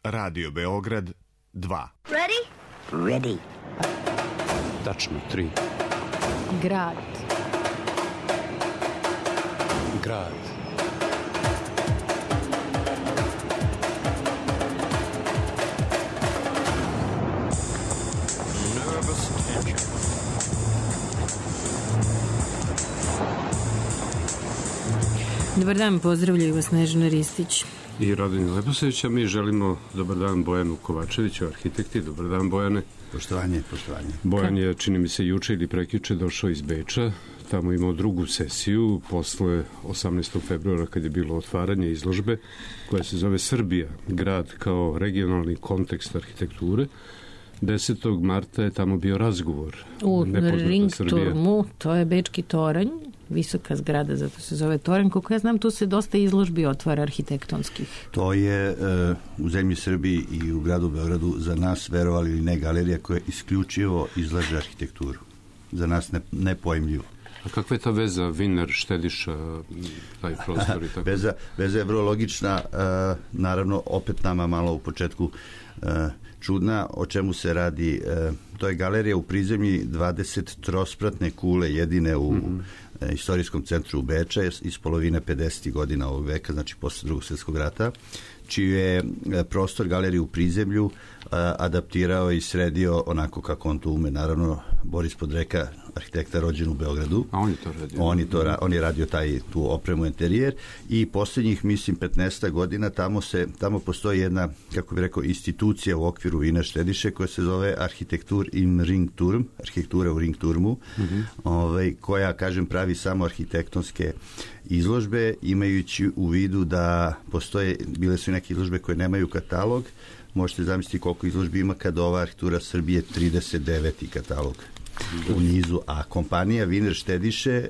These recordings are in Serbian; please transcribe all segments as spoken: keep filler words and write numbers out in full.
Radio Beograd dva. Ready? Ready. Tačno, tri. Grad. Grad. Nervous tension. Dobar dan, pozdravljaju vas Snežana Ristić I Radomir Leposavić, a mi želimo dobar dan Bojanu Kovačeviću, arhitekti. Dobar dan, Bojane. Poštovanje, poštovanje. Bojan je, čini mi se, juče ili prekjuče došao iz Beča. Tamo imao drugu sesiju posle osamnaestog februara kad je bilo otvaranje izložbe koja se zove Srbija, grad kao regionalni kontekst arhitekture. desetog marta je tamo bio razgovor. U Ringturmu, to je Bečki toranj, visoka zgrada, zato se zove toranj. Koliko ja znam, tu se dosta izložbi otvara arhitektonskih. To je uh, u zemlji Srbiji i u gradu Beogradu za nas, verovali ili ne, galerija koja isključivo izlaže arhitekturu. Za nas ne, nepojmljivo. A kakva je ta veza Viner, Štediša, taj prostor i tako? Veza, veza je vrlo logična, uh, naravno opet nama malo u početku uh, čudna. O čemu se radi? Uh, to je galerija u prizemlji dvadeset trospratne kule, jedine u mm-hmm. uh, istorijskom centru u Beča iz polovine pedesetih godina ovog veka, znači posle drugog svjetskog rata, čiji je prostor galerije u prizemlju uh, adaptirao i sredio onako kako on to ume. Naravno, Boris Podreka, arhitekta rođen u Beogradu. A on je to radio. On je, to, on je radio taj, tu opremu interijer i posljednjih, mislim, petnaest godina tamo, se, tamo postoji jedna, kako bi rekao, institucija u okviru Vina Štediše koja se zove Arhitektur in Ringturm, arhitektura u Ringturmu, mm-hmm. ovaj, koja, kažem, pravi samo arhitektonske izložbe, imajući u vidu da postoje, bile su neke izložbe koje nemaju katalog. Možete zamisliti koliko izložbi ima kada ova arhitektura Srbije trideset deveti katalog u nizu, a kompanija Viner Štediše e,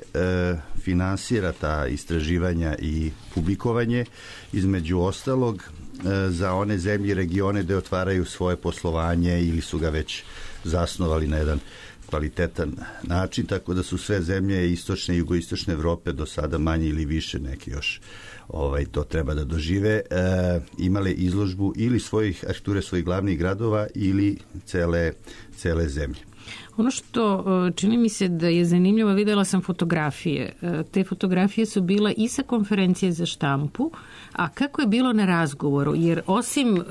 finansira ta istraživanja i publikovanje, između ostalog e, za one zemlje i regione gde otvaraju svoje poslovanje ili su ga već zasnovali na jedan kvalitetan način, tako da su sve zemlje istočne i jugoistočne Evrope do sada manje ili više, neki još ovaj, to treba da dožive, e, imale izložbu ili svojih arhitekture svojih glavnih gradova ili cele, cele zemlje. Ono što čini mi se da je zanimljivo, videla sam fotografije. Te fotografije su bila i sa konferencije za štampu, a kako je bilo na razgovoru? Jer osim uh,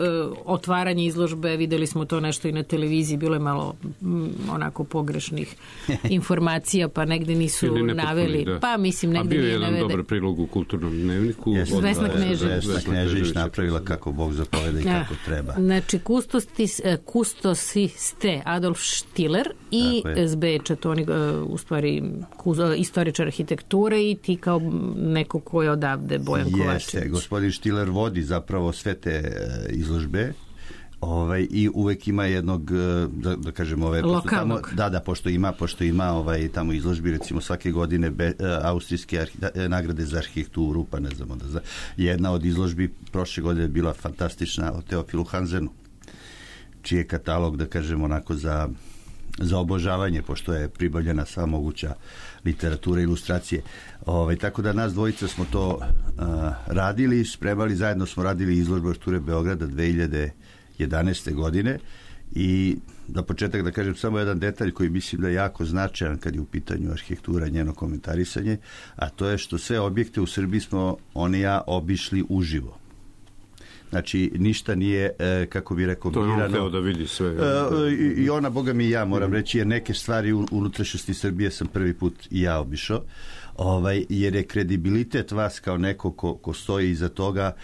otvaranja izložbe, videli smo to nešto i na televiziji, bilo je malo m, onako pogrešnih informacija, pa negde nisu naveli. Da. Pa mislim, negde nije navede. A bio je jedan dobar prilog u kulturnom dnevniku. Yes, Vesna Knežević. Vesna Knežević napravila kako Bog zapoveda i kako treba. Znači, kustosi ste Adolf Štiller i iz Beča, to oni u stvari istoričar arhitekture i ti kao neko ko je odavde, Bojan Kovačević. Jeste, gospodin Štiller vodi zapravo sve te izložbe. Ovaj, i uvek ima jednog, da, da kažem, ove, lokalnog. Tamo, da, da, pošto ima, pošto ima ovaj, tamo izložbi, recimo svake godine be, austrijske arhi, nagrade za arhitekturu, pa ne znamo da za, jedna od izložbi prošle godine je bila fantastična o Teofilu Hansenu, čiji je katalog, da kažem, onako za za obožavanje, pošto je pribavljena sva moguća literatura i ilustracije. Ovaj, tako da nas dvojica smo to uh, radili, spremali, zajedno smo radili izložbu arhitekture Beograda dve hiljade jedanaeste godine i za početak da kažem samo jedan detalj koji mislim da je jako značajan kad je u pitanju arhitektura, njeno komentarisanje, a to je što sve objekte u Srbiji smo on i ja obišli uživo. Znači, ništa nije, e, kako bi rekao, to je birano. on hteo da vidi sve. E, i, I ona, boga mi i ja, moram reći, jer neke stvari u unutrašnjosti Srbije sam prvi put i ja obišao, ovaj, jer je kredibilitet vas kao neko ko, ko stoji iza toga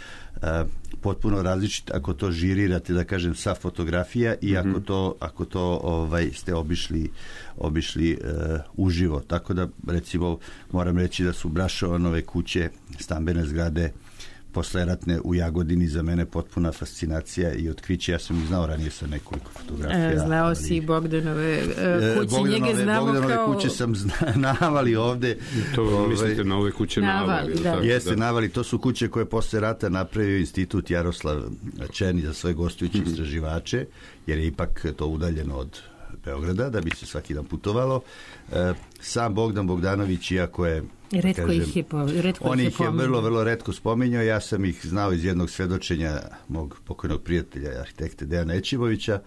e, potpuno različit ako to žirirate, da kažem, sa fotografija i mm-hmm. ako to, ako to ovaj, ste obišli, obišli e, uživo. Tako da, recimo, moram reći da su Brašovanove kuće, stambene zgrade, posleratne u Jagodini za mene potpuna fascinacija i otkriće. Ja sam ih znao ranije sa nekoliko fotografija. E, znao ali, si Bogdanove uh, kuće, Bogdanove, njege znamo Bogdanove kao... kuće sam navali ovde. To ovaj, mislite na ove kuće navali? navali da. Tako, Jeste, da. navali. To su kuće koje posle rata napravio institut Jaroslav Černi za svoje gostujuće mm-hmm. istraživače, jer je ipak to udaljeno od Beograda, da bi se svaki dan putovalo. Sam Bogdan Bogdanović, iako je Retko kažem, ih je, po, retko on ih je, ih je vrlo, vrlo retko spominjao. Ja sam ih znao iz jednog svedočenja mog pokojnog prijatelja, arhitekte Dejana Ećivovića,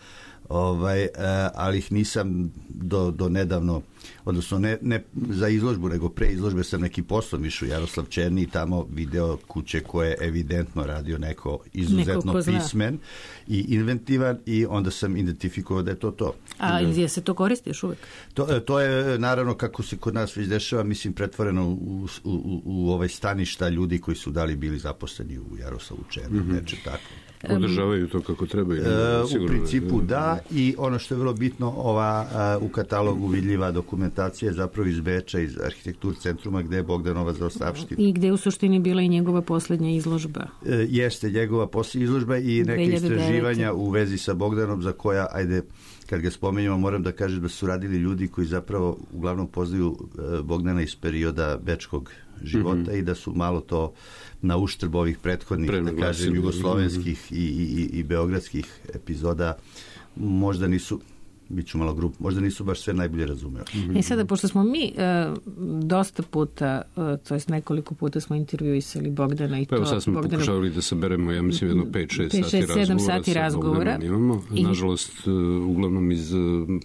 ovaj, ali ih nisam do, do nedavno, odnosno ne, ne za izložbu, nego pre izložbe sam neki poslom išao u Jaroslav Černi i tamo video kuće koje je evidentno radio neko izuzetno neko pismen i inventivan i onda sam identifikovao da je to to. A je se to koristi još uvijek? To, to je naravno kako se kod nas već dešava, mislim, pretvoreno u, u, u, u ovaj staništa ljudi koji su dali bili zaposleni u Jaroslavu Černi, mm-hmm. neče tako. Održavaju to kako treba. E, u principu da, i ono što je vrlo bitno, ova a, u katalogu vidljiva dokumentacija je zapravo iz Beča, iz arhitektur centruma gde je Bogdanova zaostavština. I gde je u suštini bila i njegova posljednja izložba. E, jeste njegova posljednja izložba i neke istraživanja u vezi sa Bogdanom za koja, ajde, kad ga spomenjamo, moram da kažem da su radili ljudi koji zapravo uglavnom poznaju e, Bogdana iz perioda bečkog života mm-hmm. i da su malo to na uštrb ovih prethodnih, da kažem, jugoslovenskih mm-hmm. i, i, i beogradskih epizoda možda nisu, bit ću malo grup, možda nisu baš sve najbolje razumeli. Mm-hmm. I sada, pošto smo mi e, dosta puta, e, to jest nekoliko puta smo intervjuisali Bogdana i pa to... Evo sad smo Bogdana, pokušavali da saberemo, ja mislim, jedno pet šest sati razgovora. sati razgovora. Imamo, I, nažalost, uglavnom iz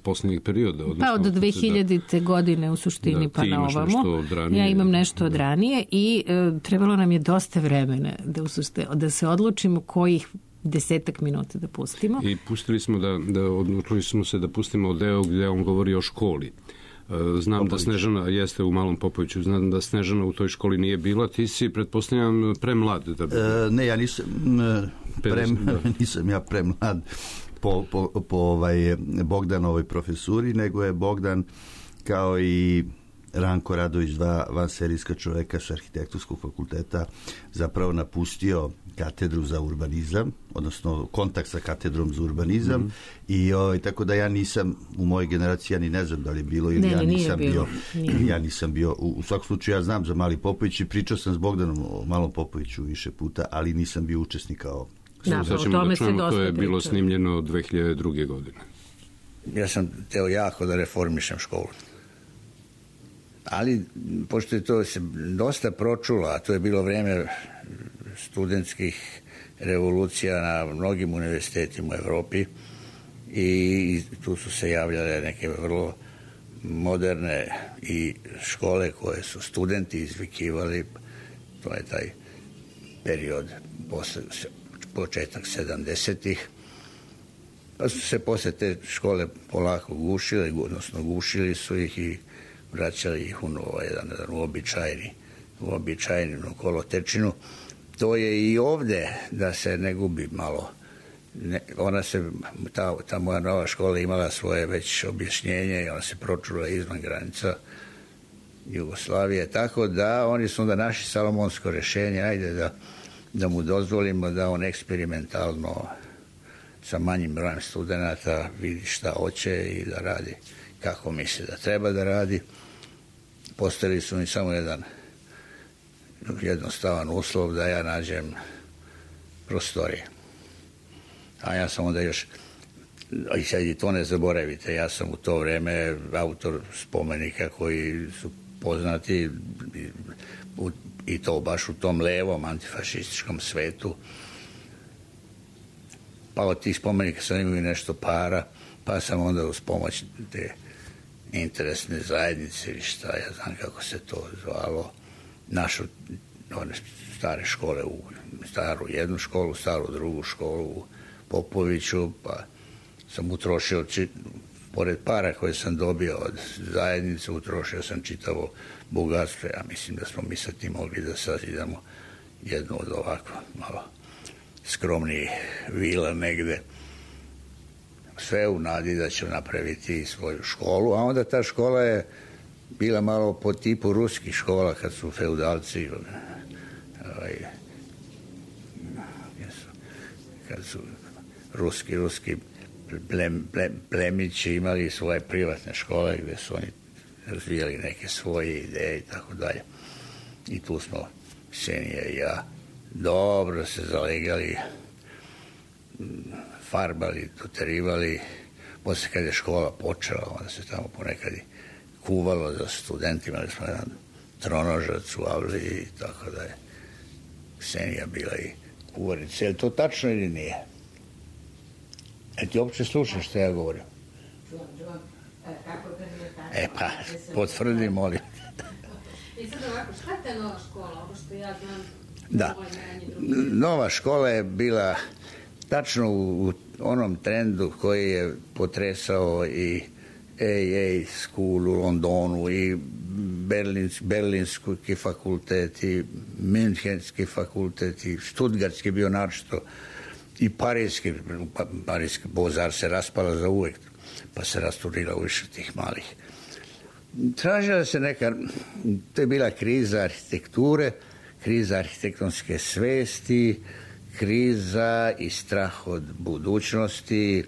posljednjih perioda. Pa od dve hiljadite da, godine u suštini da, pa na ovamo. Ja imam nešto od ranije i e, trebalo nam je dosta vremena da, usušte, da se odlučimo kojih desetak minuta da pustimo. I pustili smo da, da odlučili smo se da pustimo deo gdje on govori o školi. Znam Popović. Da Snežana jeste u Malom Popoviću, znam da Snežana u toj školi nije bila, ti si, pretpostavljam, premlad da bi... E, ne, ja nisam prem, nisam ja premlad po, po, po ovaj Bogdanovoj profesuri, nego je Bogdan kao i Ranko Radović, dva vanserijska čoveka sa arhitektonskog fakulteta, zapravo napustio katedru za urbanizam, odnosno kontakt sa katedrom za urbanizam mm-hmm. i ovaj, tako da ja nisam u mojoj generaciji, ja ni ne znam da li je bilo ili ne, ja nisam bilo. bio ili ja nisam bio, u, u svakom slučaju ja znam za Mali Popović i pričao sam s Bogdanom o Malom Popoviću više puta, ali nisam bio učesnik kao da, sad ćemo da čujemo, to je priča. Bilo snimljeno dve hiljade druge. godine. Ja sam teo jako da reformišem školu. Ali, pošto je to se dosta pročulo, a to je bilo vreme studentskih revolucija na mnogim univerzitetima u Evropi i tu su se javljale neke vrlo moderne i škole koje su studenti izvikivali, to je taj period posle, početak sedamdesetih, pa su se posle te škole polako gušile, odnosno gušili su ih i vraćali ih u novo, jedan, jedan uobičajeni, uobičajenu kolotečinu. To je i ovde da se ne gubi malo. Ne, ona se, ta, ta moja nova škola imala svoje već objašnjenje i ona se pročula izvan granica Jugoslavije, tako da oni su onda naši salomonsko rešenje, ajde da, da mu dozvolimo da on eksperimentalno sa manjim brojem studenata vidi šta hoće i da radi kako misli da treba da radi. Postavili su mi samo jedan jednostavan uslov da ja nađem prostorije. A ja sam onda još, i sad i to ne zaboravite, ja sam u to vreme autor spomenika koji su poznati i to baš u tom levom antifašističkom svetu. Pa od tih spomenika sam imao i nešto para, pa sam onda uz pomoć te interesne zajednice ili šta, ja znam kako se to zvalo, našu one stare škole, u staru jednu školu, staru drugu školu u Popoviću, pa sam utrošio, či, pored para koje sam dobio od zajednice, utrošio sam čitavo bogatstvo. Ja mislim da smo mi sa tim mogli da sazidamo jednu od ovako malo skromnijih vila negde. Sve u nadi da će napraviti svoju školu, a onda ta škola je bila malo po tipu ruskih škola kad su feudalci ovaj, kad su ruski ruski plem, plem, plemići imali svoje privatne škole gdje su oni razvijali neke svoje ideje i tako dalje. I tu smo Senija i ja dobro se zalegali, farbali, doterivali, Posle kad je škola počela, onda se tamo ponekad i kuvalo za studentima, ali smo jedan tronožac u avli i tako da je Ksenija bila i kuvarica. Je li to tačno ili nije? E ti uopće slušaš što ja govorim? E pa, potvrdi, molim. I sad ovako, šta je ta nova škola, ovo što ja znam? Da, nova škola je bila tačno u onom trendu koji je potresao i A A School u Londonu i Berlins, Berlinski fakultet i Münchenski fakultet i Stuttgartski bio naročito i Parijski, Parijski Bozar se raspala za uvek, pa se rasturila u više tih malih. Tražila se neka, to je bila kriza arhitekture, kriza arhitektonske svesti, kriza i strah od budućnosti.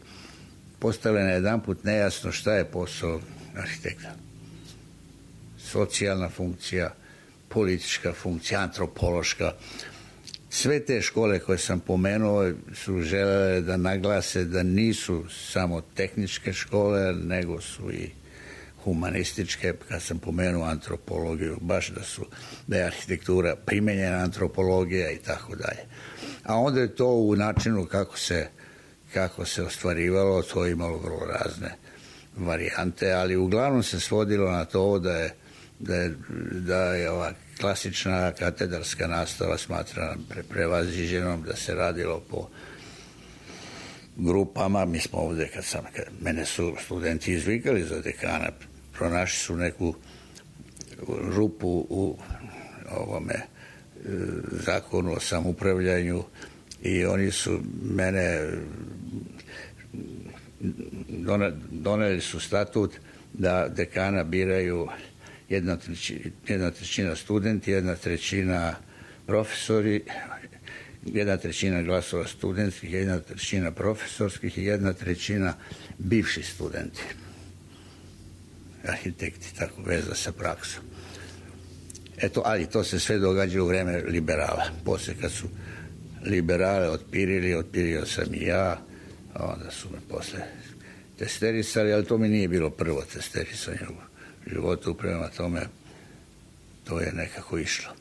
Postalo je na jedan put nejasno šta je posao arhitekta. Socijalna funkcija, politička funkcija, antropološka. Sve te škole koje sam pomenuo su želele da naglase da nisu samo tehničke škole, nego su i humanističke. Kad sam pomenuo antropologiju, baš da su da je arhitektura primenjena antropologija i tako dalje. A onda je to u načinu kako se kako se ostvarivalo, to je imalo vrlo razne varijante, ali uglavnom se svodilo na to da je, da je, da je ova klasična katedarska nastava smatrana pre, prevaziđenom, da se radilo po grupama. Mi smo ovdje, kad sam, kad mene su studenti izvikali za dekana, pronašli su neku rupu u ovome zakonu o samoupravljanju i oni su mene doneli su statut da dekana biraju jedna trećina, jedna trećina studenti, jedna trećina profesori, jedna trećina glasova studentskih, jedna trećina profesorskih i jedna trećina bivši studenti. Arhitekti, tako veza sa praksom. Eto, ali to se sve događa u vreme liberala. Poslije kad su liberale otpirili, otpirio sam i ja, a onda su me posle testerisali, ali to mi nije bilo prvo testerisanje u životu, prema tome to je nekako išlo.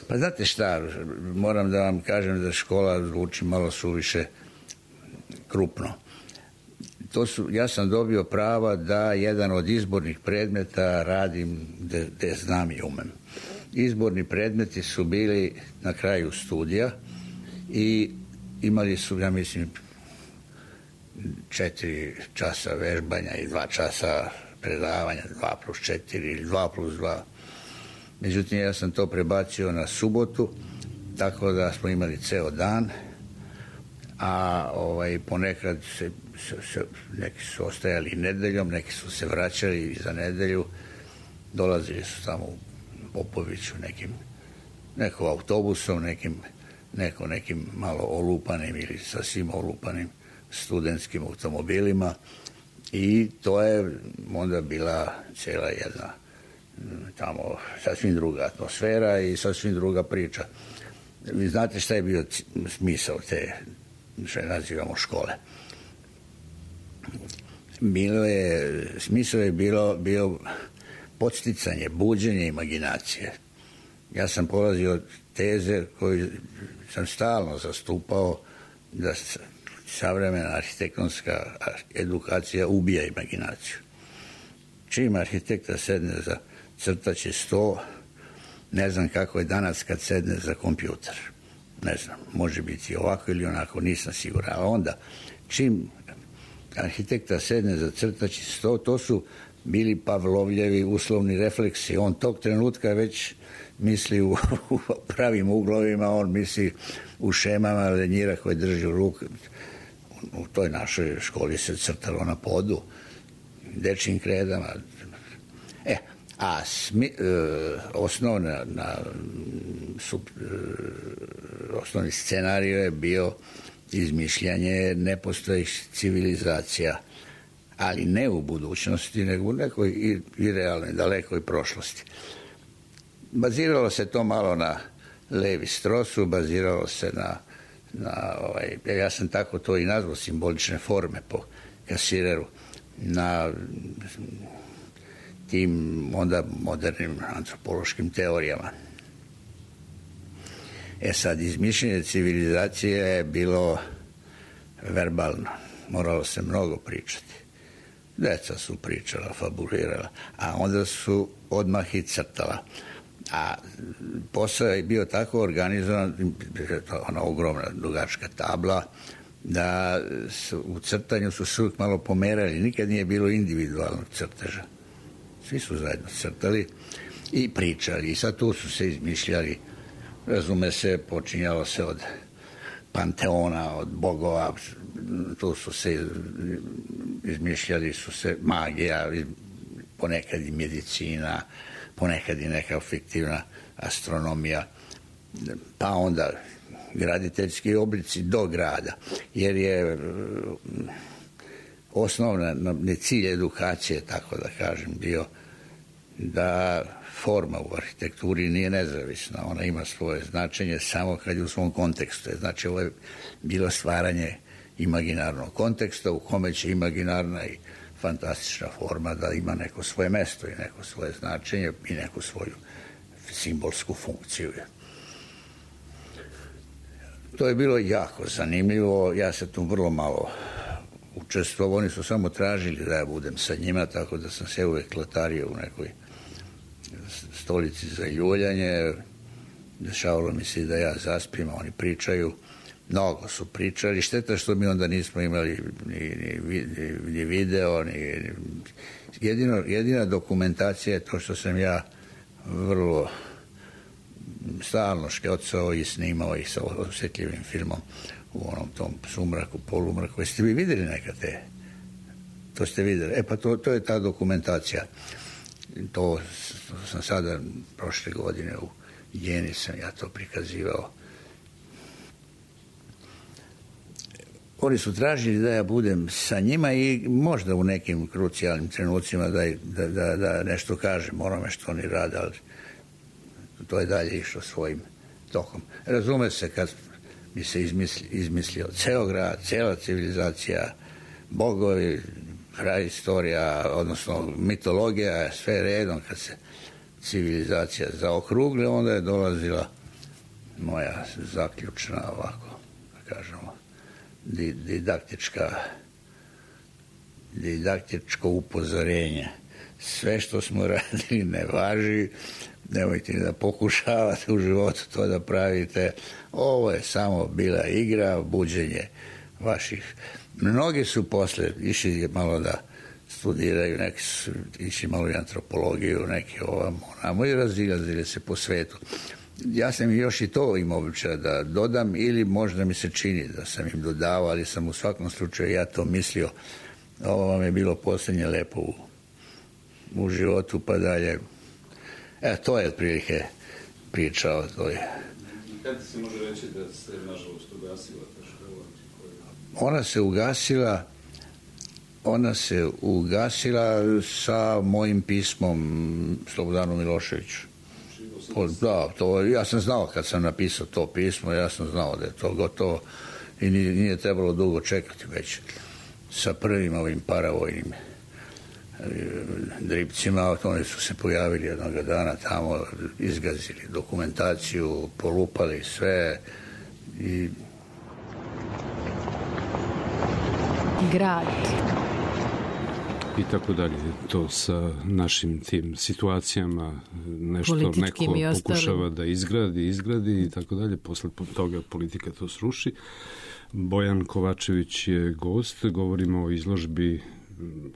Pa znate šta, moram da vam kažem da škola zvuči malo suviše krupno. To su, ja sam dobio prava da jedan od izbornih predmeta radim gde znam i umem. Izborni predmeti su bili na kraju studija i imali su, ja mislim, četiri časa vežbanja i dva časa predavanja, dva plus četiri ili dva plus dva. Međutim, ja sam to prebacio na subotu, tako da smo imali ceo dan, a ovaj, ponekad se, se, se, neki su ostajali nedeljom, neki su se vraćali za nedelju, dolazili su tamo u Popoviću nekim, neko autobusom, nekim, neko nekim malo olupanim ili sasvim olupanim studentskim automobilima i to je onda bila cijela jedna tamo sasvim druga atmosfera i sasvim druga priča. Vi znate šta je bio smisao te, što je nazivamo škole. Bilo je, smisao je bilo, bio podsticanje, buđenje imaginacije. Ja sam polazio od teze koju sam stalno zastupao da savremena arhitektonska edukacija ubija imaginaciju. Čim arhitekta sedne za crtaći sto, ne znam kako je danas kad sedne za kompjuter. Ne znam, može biti ovako ili onako, nisam siguran. A onda, čim arhitekta sedne za crtaći sto, to su bili Pavlovljevi uslovni refleksi. On tog trenutka već misli u, u pravim uglovima, on misli u šemama lenjira koje drži u ruku. U toj našoj školi se crtalo na podu, dečjim kredama. E, a smi, e, osnovna, na, sub, e, osnovni scenarij je bio izmišljanje nepostojih civilizacija, ali ne u budućnosti, nego u nekoj i, i realnoj, dalekoj prošlosti. Baziralo se to malo na Levi Strosu, baziralo se na na ovaj, ja sam tako to i nazvao, simbolične forme po Kasireru, na tim onda modernim antropološkim teorijama. E sad, izmišljenje civilizacije je bilo verbalno. Moralo se mnogo pričati. Deca su pričala, fabulirala, a onda su odmah i crtala. A posao je bio tako organizovan, ona ogromna dugačka tabla, da su, u crtanju su se uvijek malo pomerali. Nikad nije bilo individualnog crteža. Svi su zajedno crtali i pričali. I sad tu su se izmišljali. Razume se, počinjalo se od panteona, od bogova. Tu su se izmišljali su se magija, ponekad i medicina, ponekad i neka fiktivna astronomija, pa onda graditeljski oblici do grada, jer je osnovna cilj edukacije, tako da kažem, bio da forma u arhitekturi nije nezavisna, ona ima svoje značenje samo kad je u svom kontekstu. Znači, ovo je bilo stvaranje imaginarnog konteksta u kome će imaginarna i fantastična forma da ima neko svoje mesto i neko svoje značenje i neku svoju simbolsku funkciju. To je bilo jako zanimljivo, ja se tu vrlo malo učestvovao, oni su samo tražili da ja budem sa njima, tako da sam se uvek latario u nekoj stolici za ljuljanje, dešavalo mi se da ja zaspim, oni pričaju, mnogo su pričali, šteta što mi onda nismo imali ni, ni, ni video, ni, jedino, jedina dokumentacija je to što sam ja vrlo stalno škocao i snimao ih sa osjetljivim filmom u onom tom sumraku, polumraku. Jeste vi vidjeli nekad te? To ste vidjeli. E pa to, to je ta dokumentacija. To sam sada prošle godine u Jeni sam ja to prikazivao. Oni su tražili da ja budem sa njima i možda u nekim krucijalnim trenucima da, da, da, da nešto kažem onome što oni rade, ali to je dalje išlo svojim tokom. Razume se kad mi se izmisli, izmislio ceo grad, cela civilizacija, bogovi, praistorija, odnosno mitologija, sve redom, kad se civilizacija zaokrugli, onda je dolazila moja zaključna, ovako, da kažemo, didaktička didaktičko upozorenje. Sve što smo radili ne važi, nemojte da pokušavate u životu to da pravite. Ovo je samo bila igra, buđenje vaših. Mnogi su posle išli malo da studiraju, neki su išli malo i antropologiju, neki ovamo, onamo i razilazili se po svetu. Ja sam još i to imao običaj da dodam ili možda mi se čini da sam im dodavao, ali sam u svakom slučaju ja to mislio. Ovo vam je bilo posljednje lepo u, u životu, pa dalje. E, to je otprilike priča o toj. Kada se može reći da se nažalost ugasila ta škola? Ona se ugasila ona se ugasila sa mojim pismom Slobodanu Miloševiću. Da, to, ja sam znao kad sam napisao to pismo, ja sam znao da je to gotovo i nije, nije trebalo dugo čekati već sa prvim ovim paravojnim dripcima. Oni su se pojavili jednog dana tamo, izgazili dokumentaciju, polupali sve i grad i tako dalje. To sa našim tim situacijama nešto neko pokušava da izgradi, izgradi i tako dalje. Posle toga politika to sruši. Bojan Kovačević je gost. Govorimo o izložbi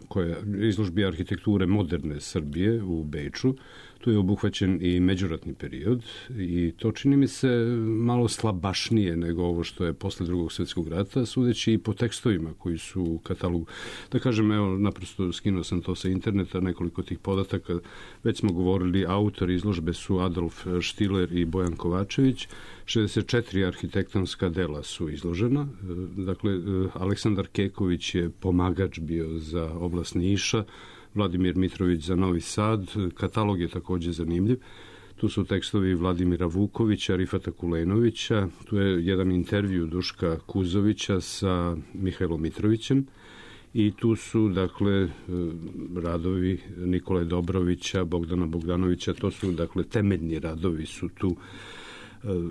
koja, izložbi arhitekture moderne Srbije u Beču. Tu je obuhvaćen i međuratni period i to čini mi se malo slabašnije nego ovo što je posle drugog svjetskog rata, sudeći i po tekstovima koji su u katalogu. Da kažem, evo, naprosto skinuo sam to sa interneta, nekoliko tih podataka. Već smo govorili, autori izložbe su Adolf Štiler i Bojan Kovačević. šezdeset četiri arhitektonska dela su izložena. Dakle, Aleksandar Keković je pomagač bio za oblast Niša, Vladimir Mitrović za Novi Sad. Katalog je također zanimljiv. Tu su tekstovi Vladimira Vukovića, Rifata Kulenovića, tu je jedan intervju Duška Kuzovića sa Mihajlom Mitrovićem i tu su, dakle, radovi Nikole Dobrovića, Bogdana Bogdanovića, to su, dakle, temeljni radovi su tu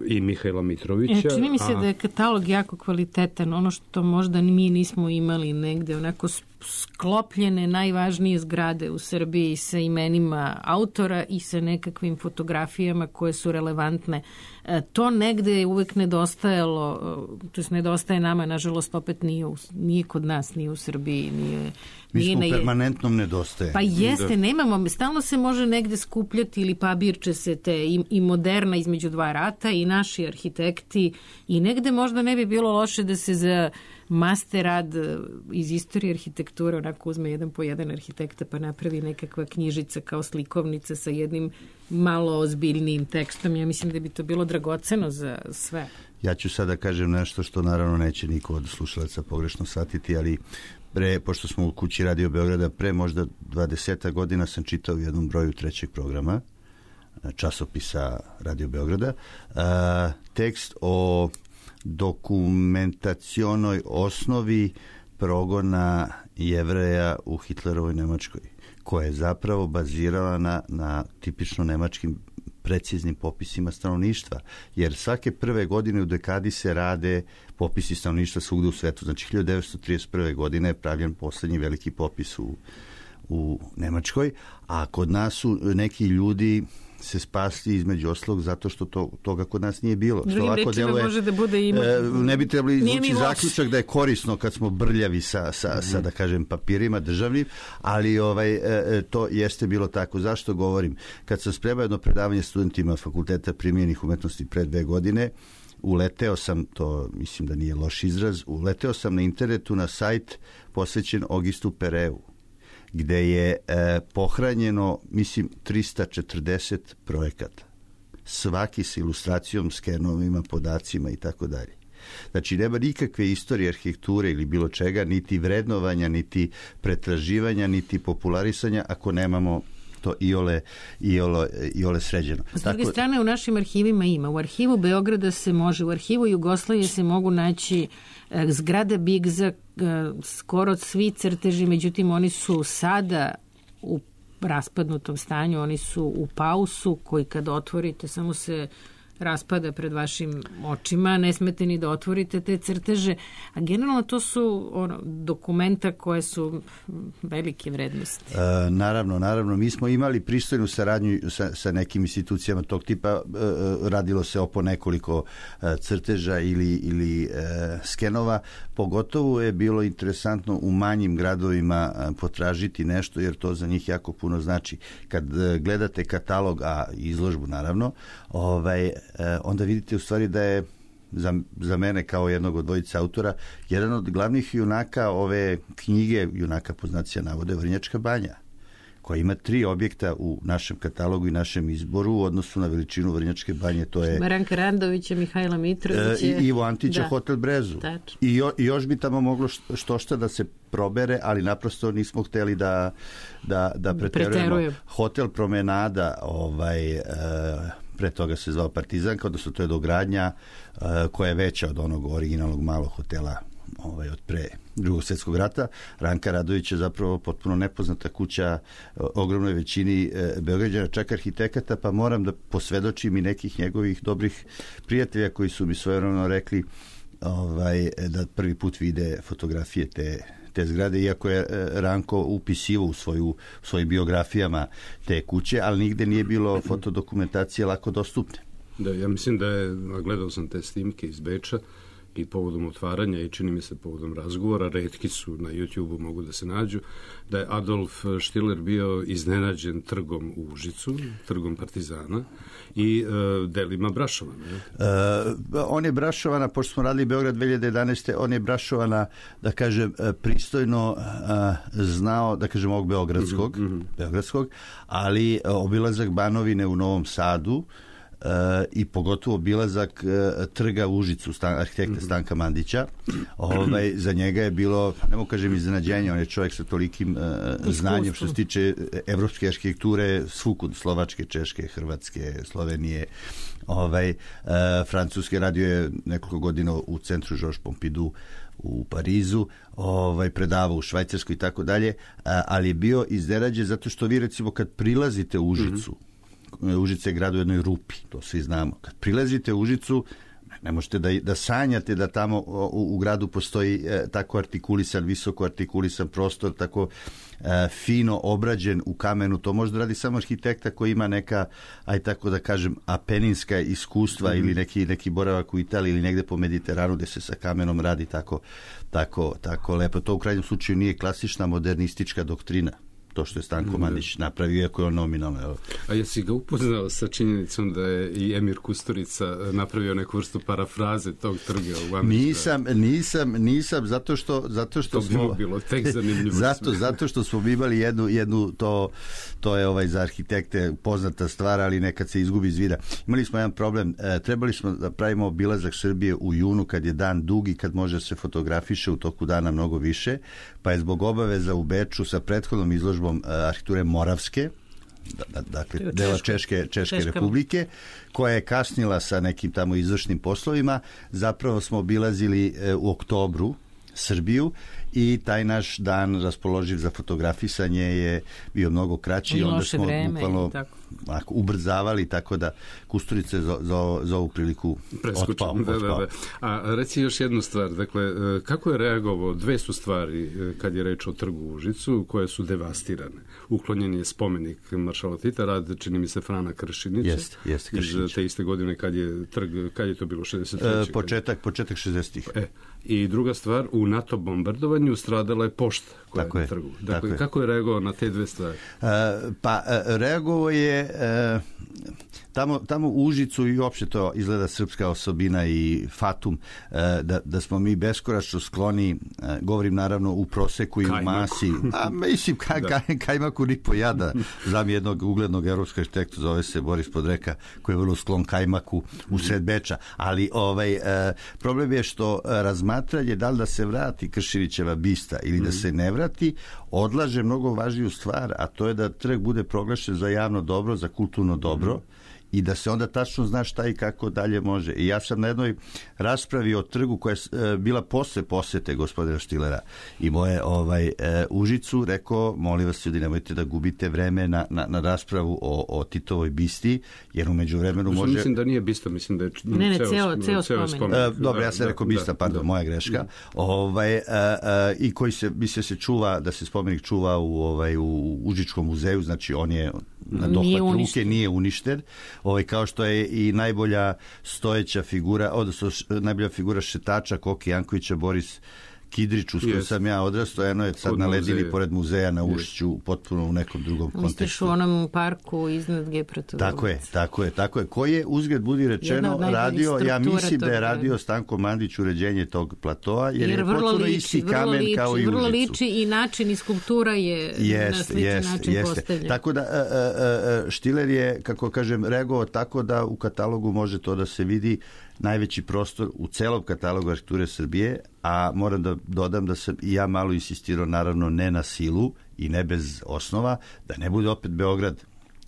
i Mihajla Mitrovića. E, čini mi se a... da je katalog jako kvalitetan, ono što možda mi nismo imali negde, onako sklopljene najvažnije zgrade u Srbiji sa imenima autora i sa nekakvim fotografijama koje su relevantne. E, to negde je uvek nedostajalo, to je nedostaje nama, nažalost opet nije, u, nije kod nas, nije u Srbiji, nije... Mi smo u permanentnom nedostaje. Pa jeste, nemamo, stalno se može negde skupljati ili pabirče se te i, i moderna između dva rata i naši arhitekti i negde možda ne bi bilo loše da se za master rad iz istorije arhitekture onako uzme jedan po jedan arhitekta pa napravi nekakva knjižica kao slikovnica sa jednim malo ozbiljnijim tekstom. Ja mislim da bi to bilo dragoceno za sve. Ja ću sada kažem nešto što naravno neće niko od slušalaca pogrešno shvatiti, ali pre, pošto smo u kući Radio Beograda, pre možda dvadeset godina sam čitao u jednom broju trećeg programa časopisa Radio Beograda a, tekst o dokumentacionoj osnovi progona Jevreja u Hitlerovoj Nemačkoj, koja je zapravo bazirala na, na tipično nemačkim preciznim popisima stanovništva, jer svake prve godine u dekadi se rade popisi stanovništva svugde u svetu. Znači, hiljadu devetsto trideset prve godine je pravljen poslednji veliki popis u, u Nemačkoj, a kod nas su neki ljudi se spasli između oslog zato što to, toga kod nas nije bilo. Drugim rečima deluje, može da bude ima... E, ne bi trebali izvući zaključak da je korisno kad smo brljavi sa, sa, mm-hmm. sa da kažem, papirima državnim, ali ovaj, e, to jeste bilo tako. Zašto govorim? Kad sam spremao jedno predavanje studentima Fakulteta primjenjenih umetnosti pre dve godine, uleteo sam, to mislim da nije loš izraz, uleteo sam na internetu na sajt posvećen Augustu Pereu, gde je e, pohranjeno, mislim, trista četrdeset projekata. Svaki sa ilustracijom, skenovima, podacima i tako dalje. Znači, nema nikakve istorije arhitekture ili bilo čega, niti vrednovanja, niti pretraživanja, niti popularisanja, ako nemamo to iole, iole, iole sređeno. S druge tako... strane, u našim arhivima ima. U arhivu Beograda se može, u arhivu Jugoslavije se mogu naći zgrada Bigza, skoro svi crteži, međutim oni su sada u raspadnutom stanju, oni su u pausu koji kad otvorite samo se raspada pred vašim očima, ne smete ni da otvorite te crteže, a generalno to su ono, dokumenta koje su velike vrednosti. E, naravno, naravno, mi smo imali pristojnu saradnju sa, sa nekim institucijama tog tipa, e, radilo se o po nekoliko e, crteža ili, ili e, skenova, pogotovo je bilo interesantno u manjim gradovima e, potražiti nešto, jer to za njih jako puno znači. Kad e, gledate katalog, a izložbu naravno, ovaj, onda vidite u stvari da je za, za mene kao jednog od dvojice autora jedan od glavnih junaka ove knjige, junaka po znacima navode, Vrnjačka banja, koja ima tri objekta u našem katalogu i našem izboru u odnosu na veličinu Vrnjačke banje. To je Maranka Randovića, Mihajla Mitrovića i Ivo Antića, da. Hotel Brezu. I, jo, I još bi tamo moglo što šta da se probere, ali naprosto nismo hteli da, da, da preterujemo. Hotel Promenada, ovaj... Uh, pre toga se zvao Partizanka, odnosno to je dogradnja uh, koja je veća od onog originalnog malog hotela ovaj, od pre Drugog svjetskog rata. Ranka Radović je zapravo potpuno nepoznata kuća uh, ogromnoj većini uh, Beograđana, čak arhitekata, pa moram da posvedočim i nekih njegovih dobrih prijatelja koji su mi svojevremeno rekli ovaj, da prvi put vide fotografije te te zgrade, iako je Ranko upisivo u svoju, u svojim biografijama te kuće, ali nigde nije bilo fotodokumentacije lako dostupne. Da, ja mislim da je, gledao sam te snimke iz Beča i povodom otvaranja i čini mi se povodom razgovora, retki su na YouTubeu, mogu da se nađu, da je Adolf Štiler bio iznenađen trgom u Užicu, trgom Partizana i uh, delima Brašovana. Uh, on je Brašovana, pošto smo radili Beograd dve hiljade jedanaeste. on je Brašovana, da kažem, pristojno uh, znao, da kažem, ovog Beogradskog, mm-hmm. Beogradskog, ali uh, obilazak Banovine u Novom Sadu, i pogotovo obilazak uh, trga Užicu, stan, arhitekta mm-hmm. Stanka Mandića. Ovaj, za njega je bilo, ne mogu kažem iznenađenje, on je čovjek sa tolikim uh, znanjem što se tiče evropske arhitekture, svukud, Slovačke, Češke, Hrvatske, Slovenije, ovaj, uh, Francuske. Radio je nekoliko godina u centru Georges Pompidou u Parizu, ovaj, predavao u Švajcarskoj i tako dalje, ali je bio iznenađen zato što vi recimo kad prilazite u Užicu, mm-hmm. Užice je grad u jednoj rupi, to svi znamo, kad prilazite u Užicu ne možete da, da sanjate da tamo u, u gradu postoji e, tako artikulisan, visoko artikulisan prostor, tako e, fino obrađen u kamenu. To može da radi samo arhitekta koji ima neka, aj tako da kažem, apeninska iskustva mm-hmm. ili neki, neki boravak u Italiji ili negde po Mediteranu gde se sa kamenom radi tako, tako, tako lepo. To u krajnjem slučaju nije klasična modernistička doktrina. To što je Stanko Mandić napravio, iako je on nominalno. Evo. A jesi ga upoznao sa činjenicom da je i Emir Kusturica napravio neku vrstu parafraze tog trga u Amsterdam? Nisam, nisam, nisam, zato što, zato što to smo... To bi bilo tek zanimljivo. zato, zato što smo imali jednu, jednu to, to je ovaj za arhitekte poznata stvar, ali nekad se izgubi iz vida. Imali smo jedan problem, e, trebali smo da pravimo obilazak Srbije u junu, kad je dan dugi, kad može se fotografiše u toku dana mnogo više, pa je zbog obaveza u Beču sa prethodnom izložbom arhitekture Moravske, dakle dela Češke, Češke republike, koja je kasnila sa nekim tamo izvršnim poslovima. Zapravo smo obilazili u oktobru Srbiju i taj naš dan raspoloživ za fotografisanje je bio mnogo kraći i onda smo bukvalno ako, ubrzavali, tako da Kusturica za, za, za ovu priliku otpao. Da, da, da. A reci još jednu stvar, dakle, kako je reagovao, dve su stvari kad je reč o trgu u Užicu koje su devastirane. Uklonjen je spomenik maršala Tita, rad čini mi se Frana Kršinića. Jeste, jeste Kršinića. Iz te iste godine kad je trg, kad je to bilo šezdeset treće. E, početak, početak šezdesetih. E, i druga stvar, u NATO bombardovanju stradala je pošta koja tako je na trgu. Dakle, je. Kako je reagovao na te dve stvari? E, pa, reagovao je e, tamo, tamo u Užicu i uopšte to izgleda srpska osobina i fatum, e, da, da smo mi beskoračno skloni, e, govorim naravno u proseku i u masi. A mislim, ka, ka, kajmaku ni po jada. Znam jednog uglednog evropskog arhitekta, zove se Boris Podreka, koji je vrlo sklon kajmaku u sred Beča. Ali ovaj, e, problem je što razmatranje da li da se vrati Kršinićeva bista ili da se ne vrati, odlaže mnogo važniju stvar, a to je da trg bude proglašen za javno dobro, za kulturno dobro, i da se onda tačno zna šta i kako dalje može. I ja sam na jednoj raspravi o trgu koja je bila posle posete gospodina Štilera i moje ovaj, e, Užicu rekao, molim vas ljudi, nemojte da gubite vreme na, na, na raspravu o, o Titovoj bisti, jer u međuvremenu može... Mislim da nije bista, mislim da je ne, ne, ceo, ceo, ceo spomenik. spomenik. E, dobro, ja sam rekao bista, pardon, da, moja greška. Da. Ovaj, e, e, I koji se, misle se čuva, da se spomenik čuva u, ovaj, u Užičkom muzeju, znači on je na dohvat ruke, nije uništen. Ovaj, kao što je i najbolja stojeća figura, odnosno najbolja figura šetača Koki Jankovića, Boris Kidrić, uz koju sam ja odrastao, eno je sad na ledini pored muzeja na Ušću, potpuno u nekom drugom kontekstu. Misliš u onom parku iznad Gepratu? Tako je, tako je, tako je. Koji je, uzgled budi rečeno, radio, ja mislim da je radio Stanko Mandić uređenje tog platoa, jer, jer je potpuno liči, isti kamen liči, kao i vrlo Užicu. liči i način i skulptura je jest, na sličan jest, način jeste. postavljen. Tako da a, a, a, Štiler je, kako kažem, reagovao tako da u katalogu može to da se vidi, najveći prostor u celom katalogu arhitekture Srbije, a moram da dodam da sam i ja malo insistirao, naravno ne na silu i ne bez osnova, da ne bude opet Beograd,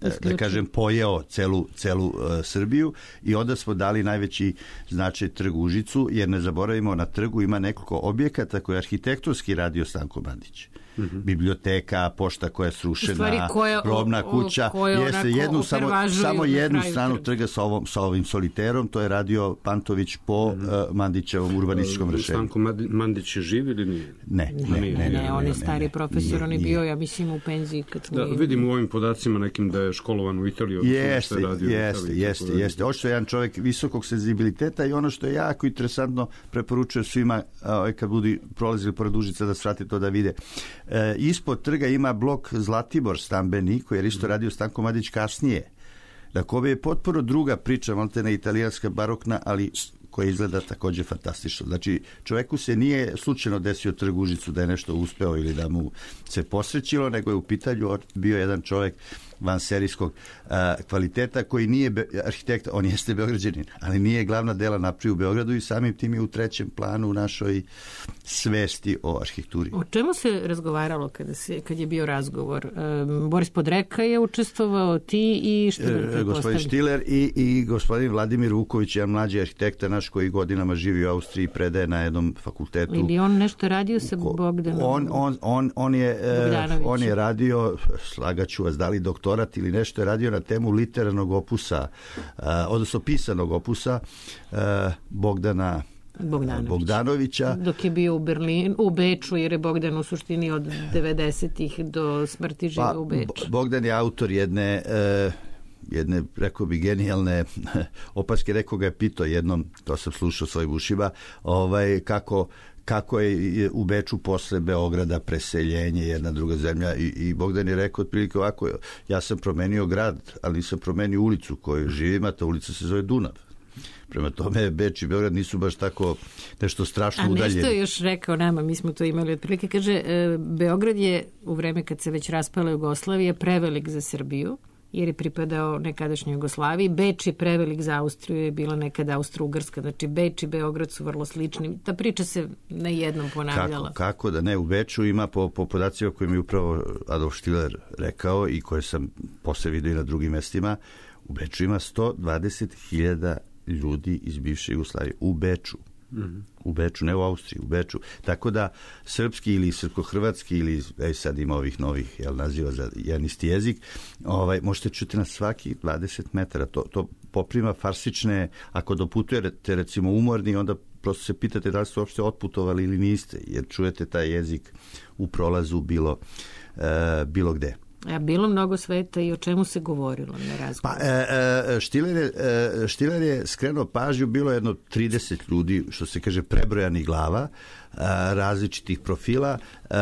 Isključi. da kažem, pojeo celu, celu uh, Srbiju, i onda smo dali najveći značaj trgu Užicu, jer ne zaboravimo, na trgu ima nekoliko objekata koje je arhitektonski radio Stanko Mandić. Mm-hmm. Biblioteka, pošta koja je srušena, koja, robna kuća, jeste jednu, samo, samo jednu stranu trga sa, ovom, sa ovim soliterom, to je radio Pantović po mm-hmm. uh, Mandićevom urbanističkom rešenju. Stanko Mandić je živ ili nije? Ne, ne, ne, ne, ne, ne, on je stari profesor, on je bio, ja mislim, u penziji kad smo... Da, vidim u ovim podacima nekim da je školovan u Italiji. Jeste, jeste, jeste, jeste. Ošto je jedan čovjek visokog senzibiliteta, i ono što je jako interesantno, preporučujem svima kad budu prolazili pored Užica da svrati to da vide. E, ispod trga ima blok Zlatibor stambeni, koji je isto radio Stanko Mandić kasnije. Dakle, je potpuno druga priča, maltene italijanska, barokna, ali koja izgleda također fantastično. Znači, čovjeku se nije slučajno desio trg Užicu da je nešto uspeo ili da mu se posrećilo, nego je u pitanju bio jedan čovjek vanserijskog a, kvaliteta, koji nije be, arhitekta, on jeste Beograđanin, ali nije glavna dela napravio u Beogradu i samim tim je u trećem planu u našoj svesti o arhitekturi. O čemu se razgovaralo kada, se, kad je bio razgovor? E, Boris Podreka je učestvovao, ti i Štiler? E, gospodin Štiler i, i gospodin Vladimir Vuković, jedan mlađi arhitekta naš koji godinama živi u Austriji, predaje na jednom fakultetu. Ili on nešto radio sa Bogdanom? On, on, on, on, je, on je radio, slagaću vas, da li doktorat ili nešto, je radio na temu literarnog opusa, odnosno pisanog opusa Bogdana Bogdanović. Bogdanovića. Dok je bio u Berlinu, u Beču, jer je Bogdan u suštini od devedesetih do smrti žive pa, u Beču. Bogdan je autor jedne, jedne, rekao bi, genijalne opaske, rekao ga je pitao jednom, to sam slušao svojim ušima, ovaj, kako kako je u Beču posle Beograda preseljenje, jedna druga zemlja, i, i Bogdan je rekao otprilike ovako, ja sam promenio grad, ali nisam promenio ulicu koju živim, a ta ulica se zove Dunav. Prema tome, Beč i Beograd nisu baš tako nešto strašno udaljeni. A nešto je još rekao nama, mi smo to imali otprilike, kaže, Beograd je u vreme kad se već raspala Jugoslavija prevelik za Srbiju, jer je pripadao nekadašnjoj Jugoslaviji. Beč je prevelik za Austriju, je bila nekada Austro-Ugrska. Znači, Beč i Beograd su vrlo slični. Ta priča se na jednom ponavljala. Kako, kako da ne? U Beču ima, po, po podacima koje mi je upravo Adolf Štiler rekao i koje sam posle vidio i na drugim mestima, u Beču ima sto dvadeset hiljada ljudi iz bivše Jugoslavije. U Beču. Mm-hmm. U Beču, ne u Austriji, u Beču. Tako da srpski ili srpsko-hrvatski ili ej, sad ima ovih novih jel, naziva za jedan isti jezik, ovaj, možete čuti na svaki dvadeset metara. To, to poprima farsične, ako doputujete recimo umorni, onda prosto se pitate da li ste uopšte otputovali ili niste, jer čujete taj jezik u prolazu bilo, uh, bilo gde. A bilo mnogo sveta i o čemu se govorilo na razgovoru? Pa, e, e, Štiler, je, e, Štiler je skrenuo pažnju, bilo jedno trideset ljudi, što se kaže prebrojanih glava, e, različitih profila. E,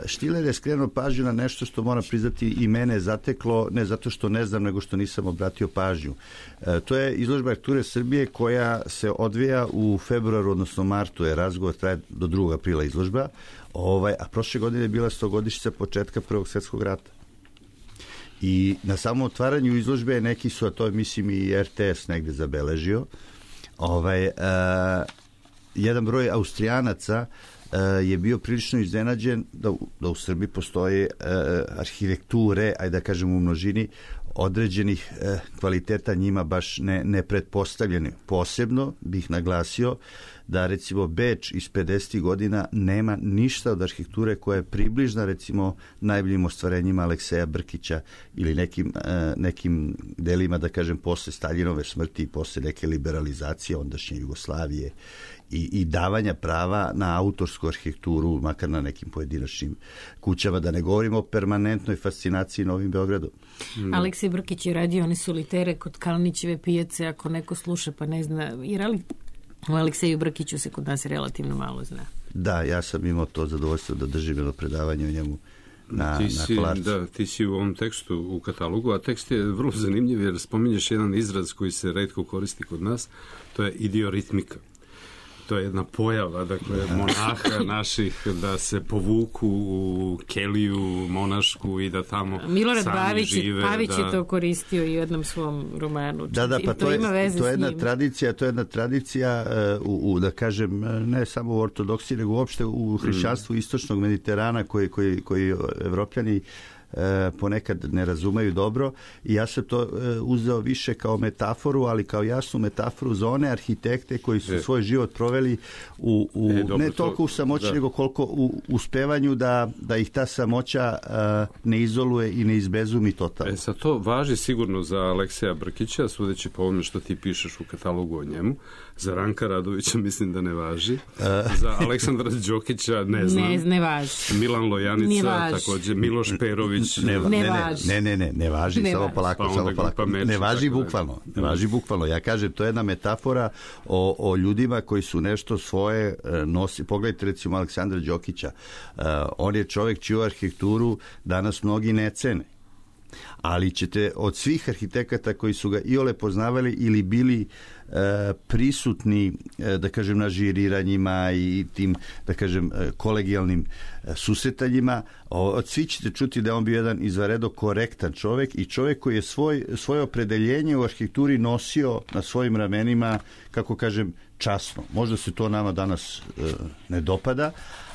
Štiler je skrenuo pažnju na nešto što moram priznati i mene zateklo, ne zato što ne znam, nego što nisam obratio pažnju. E, to je izložba arhitekture Srbije koja se odvija u februaru, odnosno martu, je razgovor, traje do drugog aprila izložba, ovaj, a prošle godine je bila stogodišnjica početka Prvog svjetskog rata. I na samom otvaranju izložbe neki su, a to je mislim i er te es negde zabeležio, ovaj, uh, jedan broj Austrijanaca uh, je bio prilično iznenađen da, da u Srbiji postoje uh, arhitekture, ajde da kažem u množini, određenih uh, kvaliteta njima baš ne, ne pretpostavljeni. Posebno bih naglasio da recimo Beč iz pedesetih godina nema ništa od arhitekture koja je približna recimo najboljim ostvarenjima Alekseja Brkića ili nekim, uh, nekim delima, da kažem, posle Staljinove smrti i posle neke liberalizacije ondašnje Jugoslavije i, i davanja prava na autorsku arhitekturu, makar na nekim pojedinačnim kućama, da ne govorimo o permanentnoj fascinaciji Novim Beogradom. Mm. Aleksej Brkić je radio one solitere kod Kalnićeve pijace, ako neko sluša pa ne zna, jer ali o Alekseju Brkiću se kod nas relativno malo zna. Da, ja sam imao to zadovoljstvo da držim jedno predavanje o njemu na, ti si, na Kolarcu. Da, ti si u ovom tekstu u katalogu, a tekst je vrlo zanimljiv jer spominješ jedan izraz koji se retko koristi kod nas, to je idioritmika. To je jedna pojava, dakle, monaha naših da se povuku u keliju monašku i da tamo Milorad sami Bavić, žive. Pavić da... je to koristio i u jednom svom romanu. Da, da, pa to, to ima je, veze to je jedna s njim. tradicija, to je jedna tradicija uh, u, u, da kažem, ne samo u ortodoksiji, nego uopšte u hrišćanstvu mm. istočnog Mediterana koji, koji, koji Evropljani E, ponekad ne razumeju dobro i ja sam to e, uzeo više kao metaforu, ali kao jasnu metaforu za one arhitekte koji su e. svoj život proveli u, u e, dobro, ne toliko u samoći, nego koliko u uspevanju da, da ih ta samoća a, ne izoluje i ne izbezumi totalno. E, sad to važi sigurno za Alekseja Brkića, sudeći po ovome što ti pišeš u katalogu o njemu. Za Ranka Radovića mislim da ne važi. E. Za Aleksandra Đokića ne znam. Ne, ne važi. Milan Lojanica, također Miloš Perović. Ne, ne, ne, važi. ne, ne, ne, ne važi, ne samo važi. polako, pa samo polako. Meči, ne važi bukvalno, ne važi bukvalno. Ja kažem, to je jedna metafora o, o ljudima koji su nešto svoje nosi. Pogledajte recimo Aleksandra Đokića. Uh, on je čovjek čiju arhitekturu danas mnogi ne cene. Ali ćete od svih arhitekata koji su ga iole poznavali ili bili prisutni, da kažem, na žiriranjima i tim, da kažem, kolegijalnim susretanjima, od svi ćete čuti da on bio jedan izvanredno korektan čovjek i čovjek koji je svoj, svoje opredeljenje u arhitekturi nosio na svojim ramenima, kako kažem, časno. Možda se to nama danas e, ne dopada,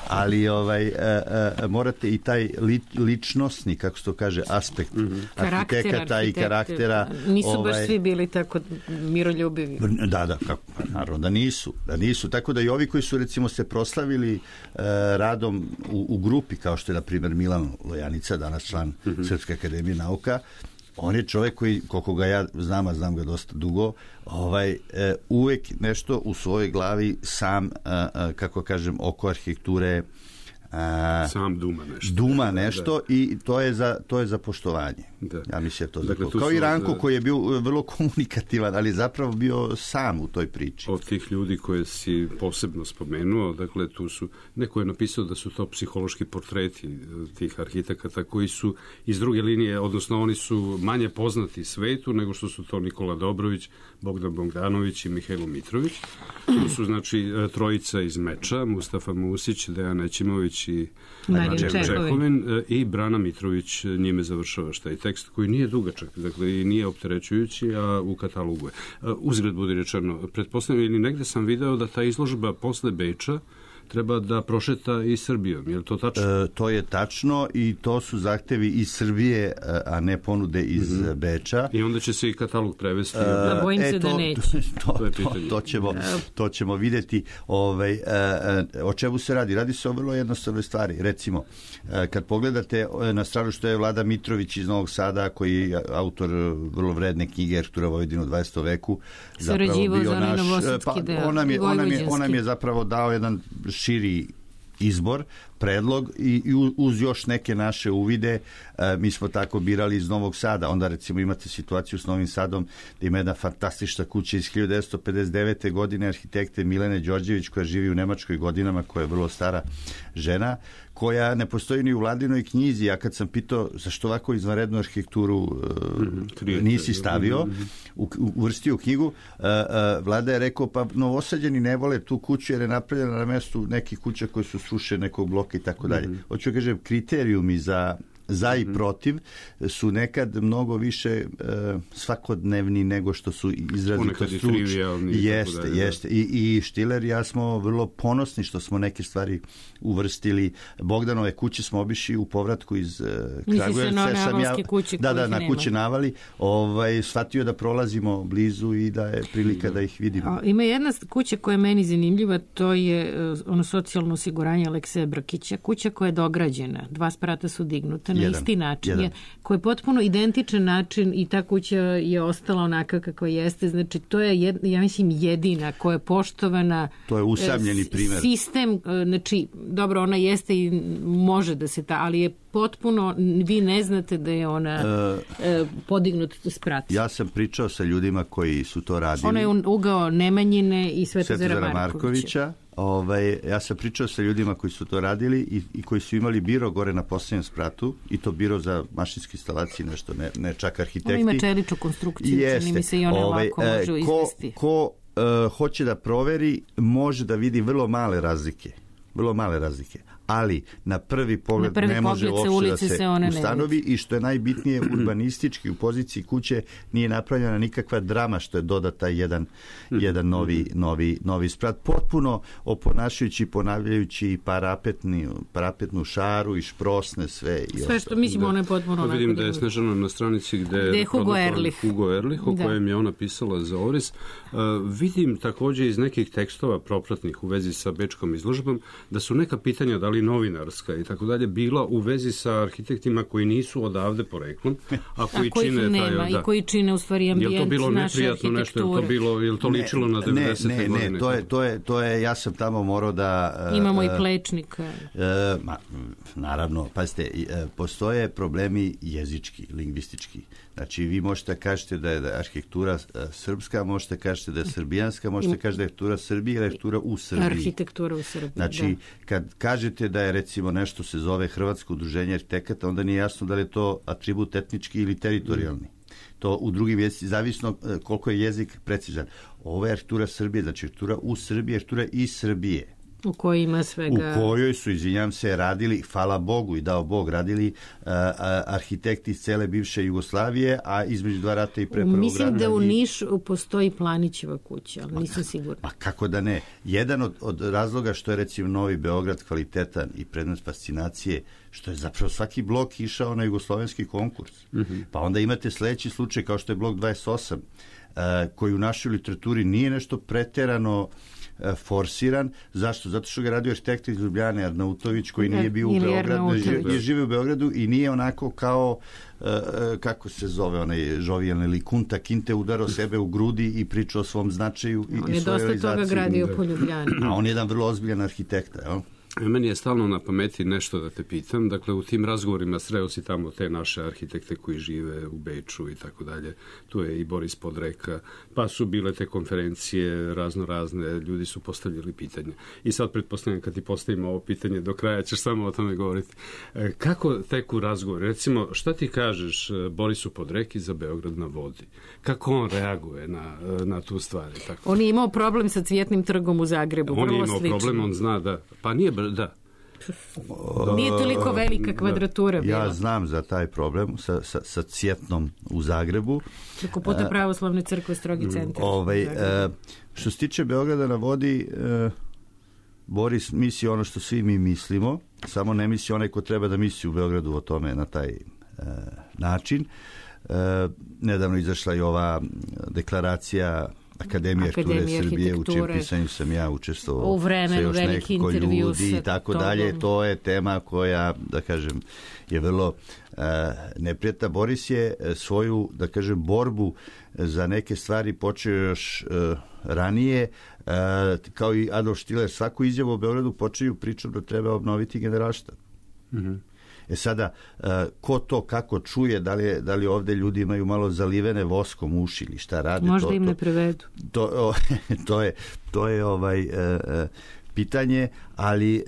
ali ovaj e, e, morate i taj li, ličnosni, kako se to kaže, aspekt mm-hmm. arhitekata i karaktera. Nisu ovaj, baš svi bili tako miroljubivi. Da, da, kako, naravno da nisu, da nisu. Tako da i ovi koji su recimo se proslavili e, radom u, u grupi, kao što je na primjer Milan Lojanica, danas član mm-hmm. Srpske akademije nauka, on je čovjek koji, koliko ga ja znam, a znam ga dosta dugo, ovaj, e, uvek nešto u svojoj glavi sam, a, a, kako kažem, oko arhitekture a, sam duma nešto. Duma nešto da. I to je za, to je za poštovanje. Da. Ja mislim to dakle, za kao i Ranko da, koji je bio vrlo komunikativan, ali zapravo bio sam u toj priči. Od tih ljudi koje si posebno spomenuo, dakle tu su, neko je napisao da su to psihološki portreti tih arhitekata koji su iz druge linije, odnosno oni su manje poznati svetu nego što su to Nikola Dobrović, Bogdan Bogdanović i Mihajlo Mitrović. Tu su znači trojica iz Meča, Mustafa Musić, Dejan Ećimović i Marijan Čehovin i Brana Mitrović njime završava šta je tekst koji nije dugačak, dakle i nije opterećujući, a u katalogu je. Uzgled budi rečeno, pretpostavljam ili negde sam video da ta izložba posle Beča treba da prošeta i Srbijom. Je li to tačno? E, to je tačno i to su zahtevi iz Srbije, a ne ponude iz mm-hmm. Beča. I onda će se i katalog prevesti. E, da bojim se e, to, da neće. To, to, to, to, ćemo, to ćemo vidjeti. Ovaj, e, o čemu se radi? Radi se o vrlo jednostavnoj stvari. Recimo, e, kad pogledate na stranu što je Vlada Mitrović iz Novog Sada, koji je autor vrlo vredne knjige Arhitektura Vojvodine u dvadesetom veku, zapravo bio naš... Pa, on nam je, on nam je, on nam je zapravo dao jedan širi izbor, predlog i, i uz još neke naše uvide e, mi smo tako birali iz Novog Sada. Onda recimo imate situaciju s Novim Sadom da ima jedna fantastična kuća iz hiljadu devetsto pedeset devete. godine arhitekte Milene Đorđević koja živi u Nemačkoj godinama, koja je vrlo stara žena, koja ne postoji ni u Vladinoj knjizi. Ja kad sam pitao zašto ovako izvanrednu arhitekturu e, nisi stavio, u, uvrstio u knjigu, e, e, Vlada je rekao pa Novosađani ne vole tu kuću jer je napravljena na mestu nekih kuća koje su srušene nekog bloka i tako dalje. Hoću da kažem, kriterijumi za za i protiv su nekad mnogo više e, svakodnevni nego što su izrazito stručni. Jeste, jeste. I, i Štiler i ja smo vrlo ponosni što smo neke stvari uvrstili. Bogdanove kuće smo obišli u povratku iz uh, Kragujevca. Sam ja, kuće da, da, na nema. kuće Navali. Ovaj, shvatio da prolazimo blizu i da je prilika da ih vidimo. A, ima jedna kuća koja je meni zanimljiva, to je uh, ono socijalno osiguranje Alekseja Brkića. Kuća koja je dograđena. Dva sprata su dignuta na isti način. Je, koji je potpuno identičan način i ta kuća je ostala onaka kako jeste. Znači, to je, jed, ja mislim, jedina koja je poštovana. To je usamljeni primjer. Sistem, znači, dobro, ona jeste i može da se ta, ali je potpuno, vi ne znate da je ona uh, podignuta sprat. Ja sam pričao sa ljudima koji su to radili. Ona je ugao Nemanjine i Svetozara Markovića. Markovića. Ovaj, ja sam pričao sa ljudima koji su to radili i, i koji su imali biro gore na posljednjem spratu i to biro za mašinske instalacije, nešto, ne, ne čak arhitekti. Ona ima čeličnu konstrukciju, čini mi se i one ovaj, lako može izvesti. Ko, ko uh, hoće da proveri, može da vidi vrlo male razlike. Vrlo male razlike. Ali na prvi pogled na prvi ne može uopšte da se, se ustanovi i što je najbitnije urbanistički u poziciji kuće nije napravljena nikakva drama što je dodata jedan, jedan novi, novi, novi sprat. Potpuno oponašajući, ponavljajući parapetni, parapetnu šaru i šprosne sve. I sve što mislimo, ono je potpuno... Pa vidim da je Snežana na stranici gde je Hugo Erlich. Hugo Erlich, o kojem je ona pisala za Oris. Uh, vidim također iz nekih tekstova propratnih u vezi sa bečkom izložbom da su neka pitanja da li novinarska i tako dalje bila u vezi sa arhitektima koji nisu odavde poreklom, a koji a čine nema, taj, da. I koji čine u stvari ambijent naše arhitekture. Je to bilo neprijatno nešto, je to bilo, je to ličilo ne, na devedesete ne, ne, godine? Ne, to je, to je, to je, ja sam tamo morao da... Uh, Imamo i plečnika. Uh, ma, naravno, pazite, uh, postoje problemi jezički, lingvistički. Znači, vi možete kažete da je, da je arhitektura uh, srpska, možete kažete da je srbijanska, možete kažete da je arhitektura Srbije ili arhitektura u Srbiji. Arhitektura u Srbiji, znači, da. Kad kažete da je recimo nešto se zove Hrvatsko udruženje arhitekata, onda nije jasno da li je to atribut etnički ili teritorijalni. to u drugim jezici, zavisno koliko je jezik precizan. Ovo je arhitektura Srbije, znači arhitektura u Srbiji, arhitektura iz Srbije. U kojoj ima svega... U kojoj su, izvinjam se, radili, hvala Bogu i dao Bog, radili uh, arhitekti iz cele bivše Jugoslavije, a između dva rata i pre prvog rata... Mislim da u Nišu postoji Planićeva kuća, ali nisam sigurna. Ma kako da ne. Jedan od, od razloga što je, recimo, Novi Beograd kvalitetan i predmet fascinacije, što je zapravo svaki blok išao na jugoslovenski konkurs. Mm-hmm. Pa onda imate sledeći slučaj kao što je blok dvadeset osam, uh, koji u našoj literaturi nije nešto preterano forsiran. Zašto? Zato što ga radio arhitekt iz Ljubljane, Arnautović, koji nije bio u Beogradu, je živio u Beogradu i nije onako kao, uh, kako se zove onaj žovijalni ili Kunta Kinte udarao sebe u grudi i pričao o svom značaju i, on i svojoj realizaciji. On je dosta toga gradio po Ljubljani. A on je jedan vrlo ozbiljan arhitekta, jel? Meni je stalno na pameti nešto da te pitam. Dakle, u tim razgovorima sreo si tamo te naše arhitekte koji žive u Beču i tako dalje. Tu je i Boris Podreka. Pa su bile te konferencije razno razne. Ljudi su postavljali pitanje. I sad pretpostavljam kad ti postavimo ovo pitanje do kraja ćeš samo o tome govoriti. Kako teku razgovor? Recimo, šta ti kažeš Borisu Podreki za Beograd na vodi? Kako on reaguje na, na tu stvari? Tako. On je imao problem sa Cvjetnim trgom u Zagrebu. On je imao slično. problem, on zna da... Pa nije da. Nije toliko velika kvadratura bila. Ja znam za taj problem sa, sa, sa Cvjetnom u Zagrebu. Preko puta Pravoslavne crkve, strogi centar. Ovaj, što se tiče Beograda na vodi, Boris misli ono što svi mi mislimo, samo ne misli onaj ko treba da misli u Beogradu o tome na taj način. Nedavno izašla i ova deklaracija Akademije arhitekture Srbije, u čijem pisanju sam ja učestvovao u vremenu, veliki intervju ljudi i tako dalje. To je tema koja, da kažem, je vrlo uh, neprijatna. Boris je svoju, da kažem, borbu za neke stvari počeo još uh, ranije, uh, kao i Adolf Štiler. Svaku izjavu o Beogradu počeju pričom da treba obnoviti Generalštab. Mhm. E sada, ko to kako čuje, da li, je, da li ovde ljudi imaju malo zalivene voskom uši ili šta rade? Možda to, im ne prevedu. To, to, to je, to je ovaj, e, pitanje, ali e,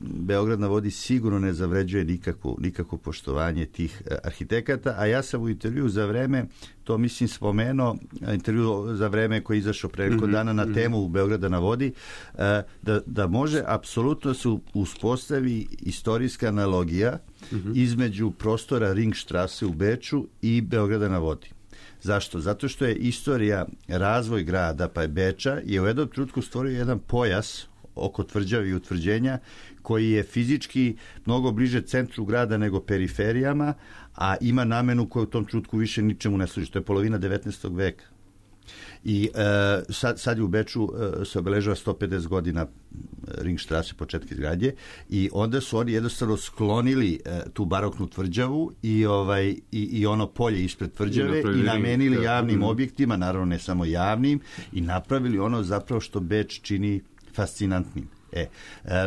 Beograd na vodi sigurno ne zavređuje nikakvo, nikakvo poštovanje tih arhitekata, a ja sam u intervju za vreme, to mislim spomenuo, intervju za vreme koji je izašao pre nekoliko dana na temu Beograda na vodi, e, da, da može apsolutno se uspostavi istorijska analogija mm-hmm. između prostora Ringstrasse u Beču i Beograda na vodi. Zašto? Zato što je istorija, razvoj grada, pa je Beča, je u jednom trenutku stvorio jedan pojas oko tvrđavi i utvrđenja koji je fizički mnogo bliže centru grada nego periferijama, a ima namenu koja u tom trenutku više ničemu ne služi. To je polovina devetnaestog veka. I e, sad, sad je u Beču e, se obeležava sto pedeset godina Ringstrasse, početka izgradnje, i onda su oni jednostavno sklonili e, tu baroknu tvrđavu i, ovaj, i, i ono polje ispred tvrđave i, i namenili ring, javnim da. objektima, naravno ne samo javnim, i napravili ono zapravo što Beč čini fascinantnim. E, e,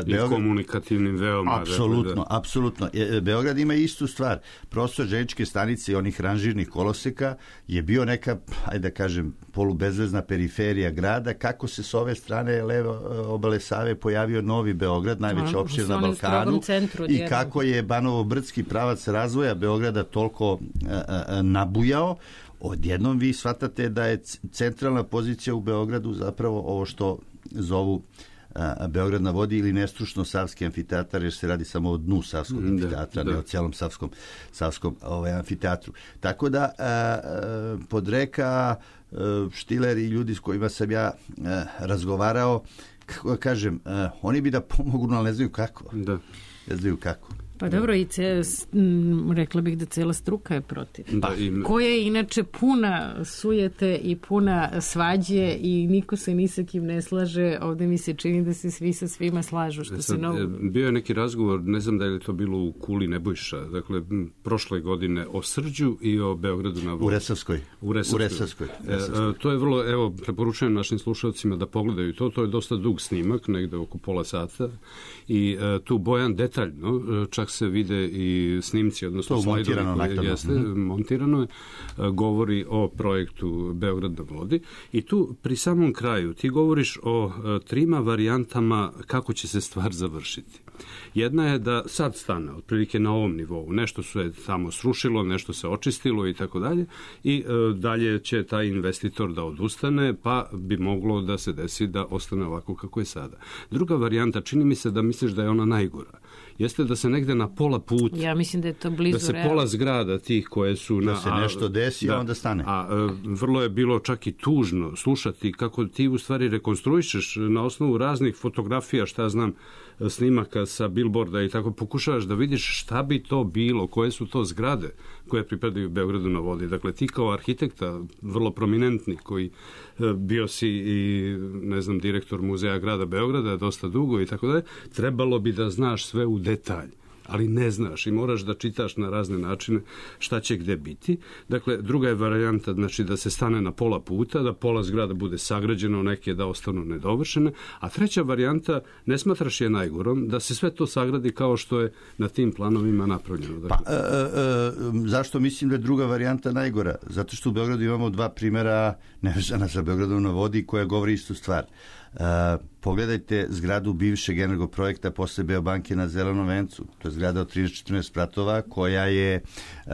I Beograd, komunikativnim veoma. Apsolutno, da. apsolutno. E, Beograd ima istu stvar. Prostor željezničke stanice i onih ranžirnih koloseka je bio neka, ajde da kažem, polubezvezna periferija grada. Kako se s ove strane leve obale Save pojavio Novi Beograd, najveća opština na Balkanu, i kako je Banovo-Brdski pravac razvoja Beograda toliko a, a, nabujao. Odjednom vi shvatate da je centralna pozicija u Beogradu zapravo ovo što zovu a, Beograd na vodi ili nestručno Savski amfiteatar, jer se radi samo o dnu Savskog amfiteatra, da, ne da. o cijelom Savskom, Savskom ovaj, amfiteatru. Tako da a, a, Podreka, a, Štiler i ljudi s kojima sam ja a, razgovarao, kako kažem, a, oni bi da pomognu, ali ne znaju kako. Da. Ne znaju kako. Pa dobro, i ce, m, rekla bih da cela struka je protiv. Da, im... Koja je inače puna sujete i puna svađe i niko se ni sa kim ne slaže. Ovde mi se čini da se svi sa svima slažu. Što sad, se novo... Bio je neki razgovor, ne znam da je li to bilo u Kuli Nebojša, dakle, prošle godine o Srđu i o Beogradu na vodi. U Resavskoj. U Resavskoj. U Resavskoj. Resavskoj. E, to je vrlo, evo, preporučujem našim slušalcima da pogledaju to. To je dosta dug snimak, negde oko pola sata. I e, tu Bojan detaljno, čak se vide i snimci, odnosno to slajdovi montirano, koje jeste, mm-hmm. montirano je, govori o projektu Beograd na vodi i tu pri samom kraju ti govoriš o trima varijantama kako će se stvar završiti. Jedna je da sad stane otprilike na ovom nivou, nešto se tamo srušilo, nešto se očistilo i tako dalje i e, dalje će taj investitor da odustane, pa bi moglo da se desi da ostane ovako kako je sada. Druga varijanta, čini mi se da misliš da je ona najgora, jeste da se negde na pola puta, ja mislim da je to blizu, da se realno. Pola zgrada tih koje su da na, se nešto desi, da, onda stane. A, a vrlo je bilo čak i tužno slušati kako ti u stvari rekonstruišeš na osnovu raznih fotografija, šta znam, snimaka sa billboarda i tako, pokušavaš da vidiš šta bi to bilo, koje su to zgrade koje pripadaju Beogradu na vodi. Dakle, ti kao arhitekta, vrlo prominentni, koji bio si i, ne znam, direktor muzeja grada Beograda dosta dugo i tako dalje, trebalo bi da znaš sve u detalj, ali ne znaš i moraš da čitaš na razne načine šta će gde biti. Dakle, druga je varijanta, znači, da se stane na pola puta, da pola zgrada bude sagrađeno, neke da ostanu nedovršene, a treća varijanta, ne smatraš je najgorom, da se sve to sagradi kao što je na tim planovima napravljeno. Dakle, pa, e, e, zašto mislim da je druga varijanta najgora? Zato što u Beogradu imamo dva primjera nevezana sa Beogradom na vodi koja govori istu stvar. Uh, pogledajte zgradu bivšeg energoprojekta posle Beobanke na Zelenom vencu. To je zgrada od trinaest četrnaest spratova koja je uh,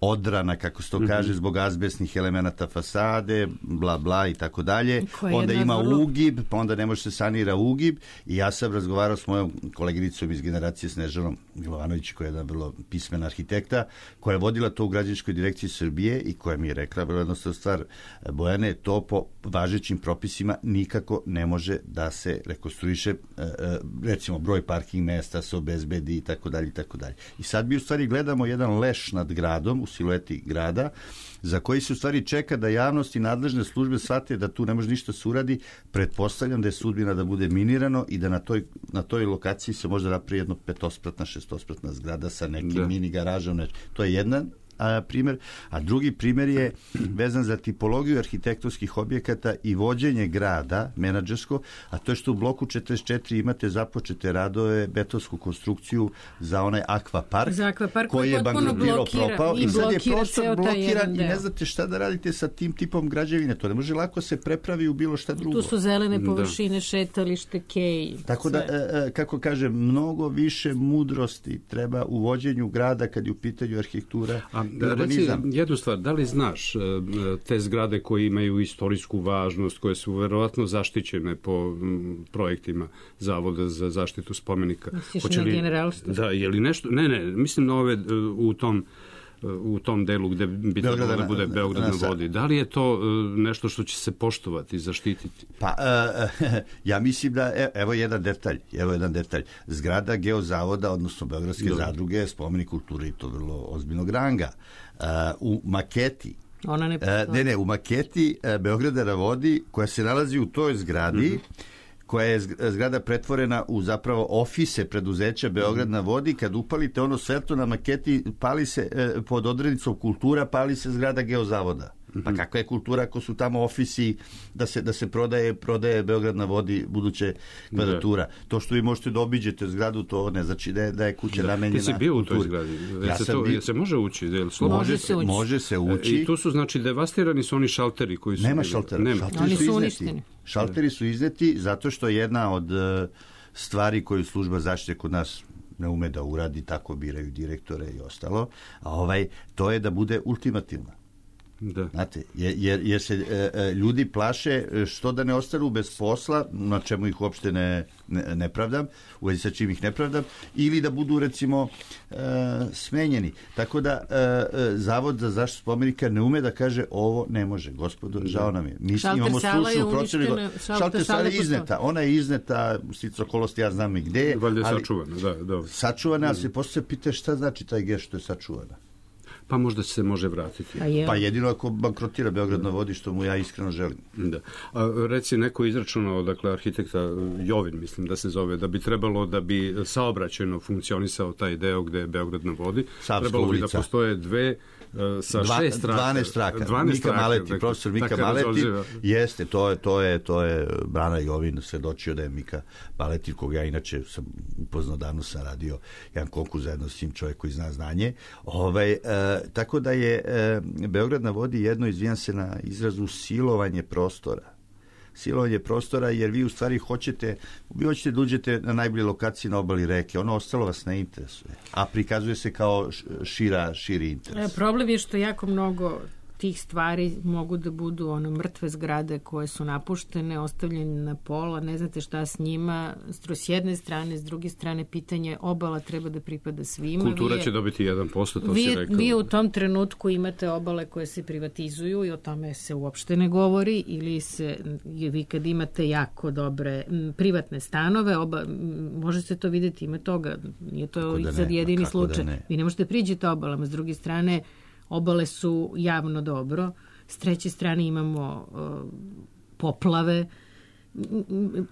odrana, kako se to mm-hmm. kaže, zbog azbestnih elemenata fasade, bla bla i tako dalje. Onda ima vrlo... ugib, pa onda ne može se sanira ugib i ja sam razgovarao s mojom koleginicom iz generacije Snežanom Milovanović, koja je jedna vrlo pismena arhitekta, koja je vodila to u građevinskoj direkciji Srbije i koja mi je rekla vrlo jednostavna stvar, Bojane, to po važećim propisima nikako ne može da se rekonstruiše, recimo broj parking mesta se obezbedi i tako dalje i tako dalje. I sad mi u stvari gledamo jedan leš nad gradom u silueti grada, za koji se u stvari čeka da javnost i nadležne službe shvate da tu ne može ništa se uradi. Pretpostavljam da je sudbina da bude minirano i da na toj, na toj lokaciji se može napravi jedno petospratna, šestospratna zgrada sa nekim da. mini garažom. To je jedan a, primjer. A drugi primjer je vezan za tipologiju arhitektonskih objekata i vođenje grada, menadžersko, a to je što u bloku četrdeset četiri imate započete radove, betonsku konstrukciju za onaj akvapark, za akvapark koji je bankrotirao, propao i, i sad je prostor blokiran i deo. Ne znate šta da radite sa tim tipom građevine. To ne može lako se prepravi u bilo šta drugo. Tu su zelene površine, da. šetalište, kej. Tako sve. da, kako kažem, mnogo više mudrosti treba u vođenju grada kad je u pitanju arhitektura. A da, reci jednu stvar, da li znaš te zgrade koje imaju istorijsku važnost, koje su verovatno zaštićene po projektima Zavoda za zaštitu spomenika? Misliš na generalstvo? Da, je li nešto, ne, ne, mislim na ove u tom u tom delu gde bi trebalo da bude Beograd na vodi. Da li je to nešto što će se poštovati, zaštititi? Pa, uh, ja mislim da, evo jedan detalj, evo jedan detalj. Zgrada Geozavoda, odnosno Beogradske da. zadruge, je spomenik kulture i to vrlo ozbiljnog ranga. Uh, u maketi Ona ne, uh, ne, ne, u maketi uh, Beograda na vodi, koja se nalazi u toj zgradi, mm-hmm. koja je zgrada pretvorena u zapravo ofise preduzeća Beograd na vodi, kad upalite ono svetlo na maketi, pali se e, pod odrednicom kultura, pali se zgrada Geozavoda. Pa kakva je kultura ako su tamo ofisi da se, da se prodaje, prodaje Beograd na vodi buduće kvadratura. Da. To što vi možete da obiđete zgradu, to ne znači da je, da je kuća da. namenjena. Ti si bio u toj zgradi. Ja se, to, bi... se može ući? Je može, se ući. može se ući. I tu su, znači, devastirani su oni šalteri koji su... Nema šaltera. Nema. Šalteri oni su, su uništeni. Šalteri su izneti zato što jedna od uh, stvari koju služba zaštite kod nas ne ume da uradi, tako biraju direktore i ostalo, a ovaj, to je da bude ultimativna. Da. Znate, jer, jer se e, e, ljudi plaše što da ne ostanu bez posla, na čemu ih uopšte ne, ne, ne pravdam, u vezi sa čim ih ne pravdam, ili da budu recimo e, smenjeni. Tako da e, Zavod za zaštitu spomenika ne ume da kaže ovo ne može, gospodo, žao nam je. Mi šalter imamo stručnu procenu. Šalter sala je izneta. Ona je izneta, stico okolosti, ja znam i gde. Valjda je sačuvana, da, da. Sačuvana, ali se posle pita šta znači taj gest što je sačuvana. pa možda se može vratiti. Pa jedino ako bankrotira Beograd na vodi, što mu ja iskreno želim. Da. A, reci, neko izračunao, dakle, arhitekta Jovin, mislim da se zove, da bi trebalo da bi saobraćajno funkcionisao taj deo gde je Beograd na vodi, Savska trebalo bi ulica. Da postoje dve sa Dva, šest traka. dvanaest traka. dvanaest Mika traka, Maleti, dakle, profesor Mika dakle, Maleti, razolživa. jeste, to je, to je, to je Brana Jovin svedočio da je Mika Maleti, koga ja inače sam upoznao, davno sam radio jedan konkurs zajedno s tim, čovjek koji zna znanje. Ovaj, e, tako da je e, Beograd na vodi jedno, izvijam se na izrazu, silovanje prostora. Silovanje prostora, jer vi u stvari hoćete, vi hoćete da uđete na najbolje lokacije na obali reke, ono ostalo vas ne interesuje, a prikazuje se kao šira, širi interes. Problem je što jako mnogo tih stvari mogu da budu ono mrtve zgrade koje su napuštene, ostavljene na pola, ne znate šta s njima, s jedne strane, s druge strane pitanje obala treba da pripada svima. Kultura vi je, će dobiti jedan posto, to vi, si rekao. Vi u tom trenutku imate obale koje se privatizuju i o tome se uopšte ne govori, ili se, vi kad imate jako dobre m, privatne stanove, oba, m, može se to vidjeti, ima toga, nije to da sad jedini kako slučaj. Da vi ne možete priđete obalama, s druge strane obale su javno dobro, s treće strane imamo uh, poplave.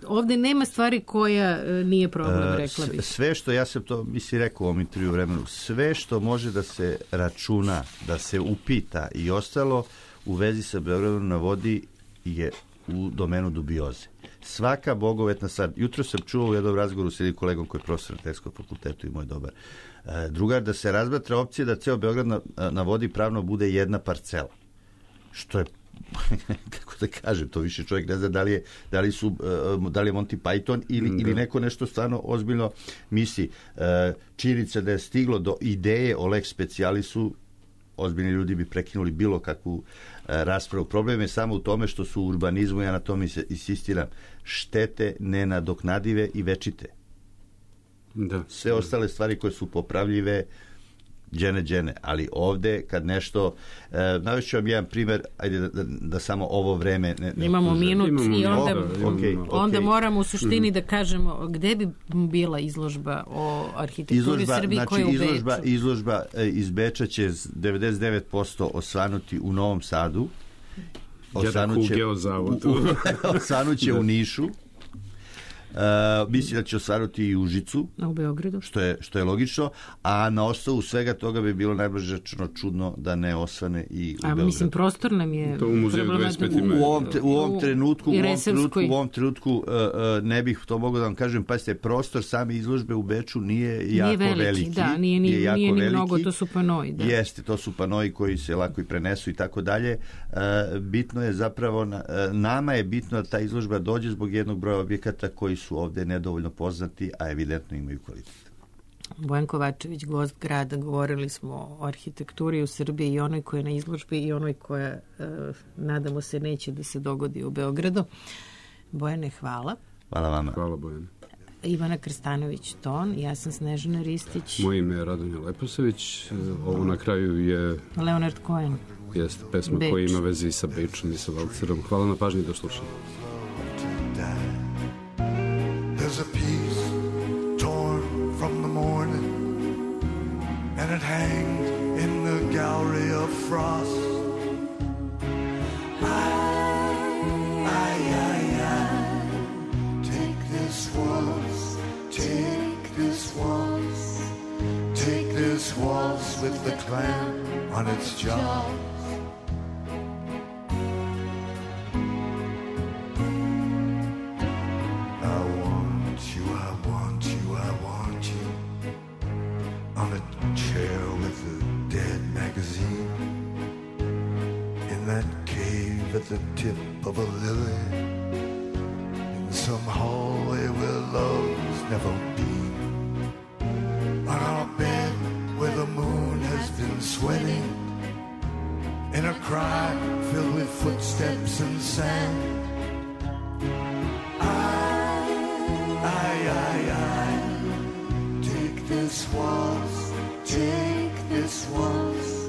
Ovde nema stvari koja uh, nije problem, uh, rekla bih. Sve što, ja sam to misli rekao u ovom intervju vremenu, sve što može da se računa, da se upita i ostalo u vezi sa Beogradom na vodi je u domenu dubioze. Svaka bogovetna stvar. Jutro sam čuo u jednom razgovoru s jednim kolegom koji je profesor na Tehničkom fakultetu i moj dobar drugar, da se razmatra opcija da ceo Beograd na, na vodi pravno bude jedna parcela. Što je, kako da kažem, to više čovjek ne zna da li je, da li su, da li je Monty Python ili, da. ili neko nešto stvarno ozbiljno misli. Činjenica da je stiglo do ideje o lex specialisu, ozbiljni ljudi bi prekinuli bilo kakvu raspravu. Problem je samo u tome što su u urbanizmu, ja na tome insistiram, štete nenadoknadive i večite. Da. Sve ostale stvari koje su popravljive, džene, džene. Ali ovde, kad nešto... E, navešću vam jedan primjer, ajde da, da, da samo ovo vreme... Ne, ne imamo minut imamo i onda, okay, okay. onda moramo u suštini da kažemo gde bi bila izložba o arhitekturi izložba, Srbije znači, koja je u izložba, Beču. Izložba iz Beča će devedeset devet posto osvanuti u Novom Sadu. Osvanuće, osvanuće u Nišu. Uh, mislim da će osvanuti i u Užicu, u Beogradu, što je, što je logično, a na osnovu svega toga bi bilo najbliže rečeno čudno da ne osvane i u a, Beogradu. Mislim, prostor nam je to u muzeju dvadeset pet u, u, ovom, u ovom trenutku, u ovom trenutku, u ovom trenutku uh, uh, ne bih to mogao da vam kažem, pazite, prostor same izložbe u Beču nije jako nije veliki, veliki. Da, nije, nije, nije, nije ni veliki. Mnogo, to su panoji. Da. Jeste, to su panoji koji se lako i prenesu i tako dalje. Uh, bitno je zapravo, uh, nama je bitno da ta izložba dođe zbog jednog broja objekata koji su ovde nedovoljno poznati, a evidentno imaju kvalitet. Bojan Kovačević, gost grada, govorili smo o arhitekturi u Srbiji i onoj koja je na izložbi i onoj koja, e, nadamo se, neće da se dogodi u Beogradu. Bojane, hvala. Hvala vama. Hvala, Bojane. Ivana Krstanović-Ton, ja sam Snežana Ristić. Moje ime je Radonja Leposavić. Ovo na kraju je... Leonard Cohen. Jeste, pesma Beč. Koja ima veze i sa Bečom i sa Valcerom. Hvala na pažnji, do slušanja. There's a piece torn from the morning, and it hangs in the gallery of frost. I, I, I, I, take this waltz, take this waltz, take this waltz with the clam on its jaws. At the tip of a lily, in some hallway where love's never been, on our bed where the moon has been sweating, in a cry filled with footsteps and sand. I, I, I, I, take this waltz, take this waltz,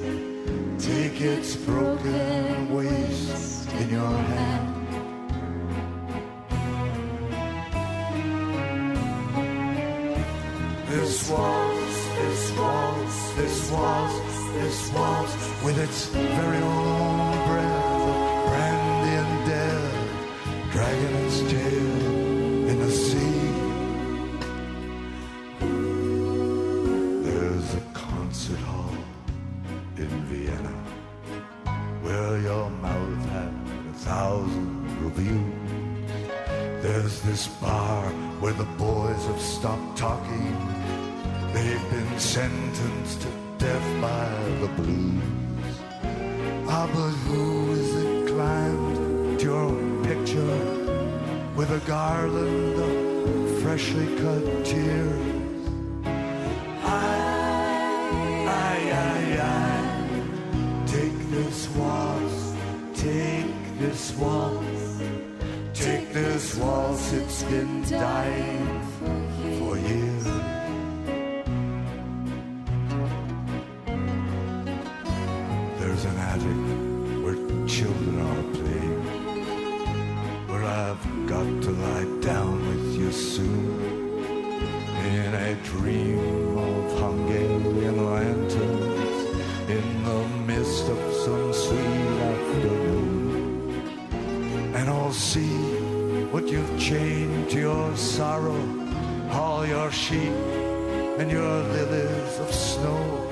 take its broken waist in your hand. This waltz this waltz, this waltz, this waltz, with its very own breath of brandy and death, dragging its tail in the sea. There's a concert hall in Vienna where your mouth had a thousand reviews. There's this bar where the boys have stopped talking. They've been sentenced to death by the blues. Ah, but who is it climbed to your picture with a garland of freshly cut tears? I, I, I, I, take this waltz, take this waltz. Take this waltz, it's been dying for years. There's an attic where children are playing, where I've got to lie down with you soon, in a dream of Hungarian lanterns, in the mist of some sweet afternoon. And I'll see what you've chained to your sorrow, all your sheep and your lilies of snow.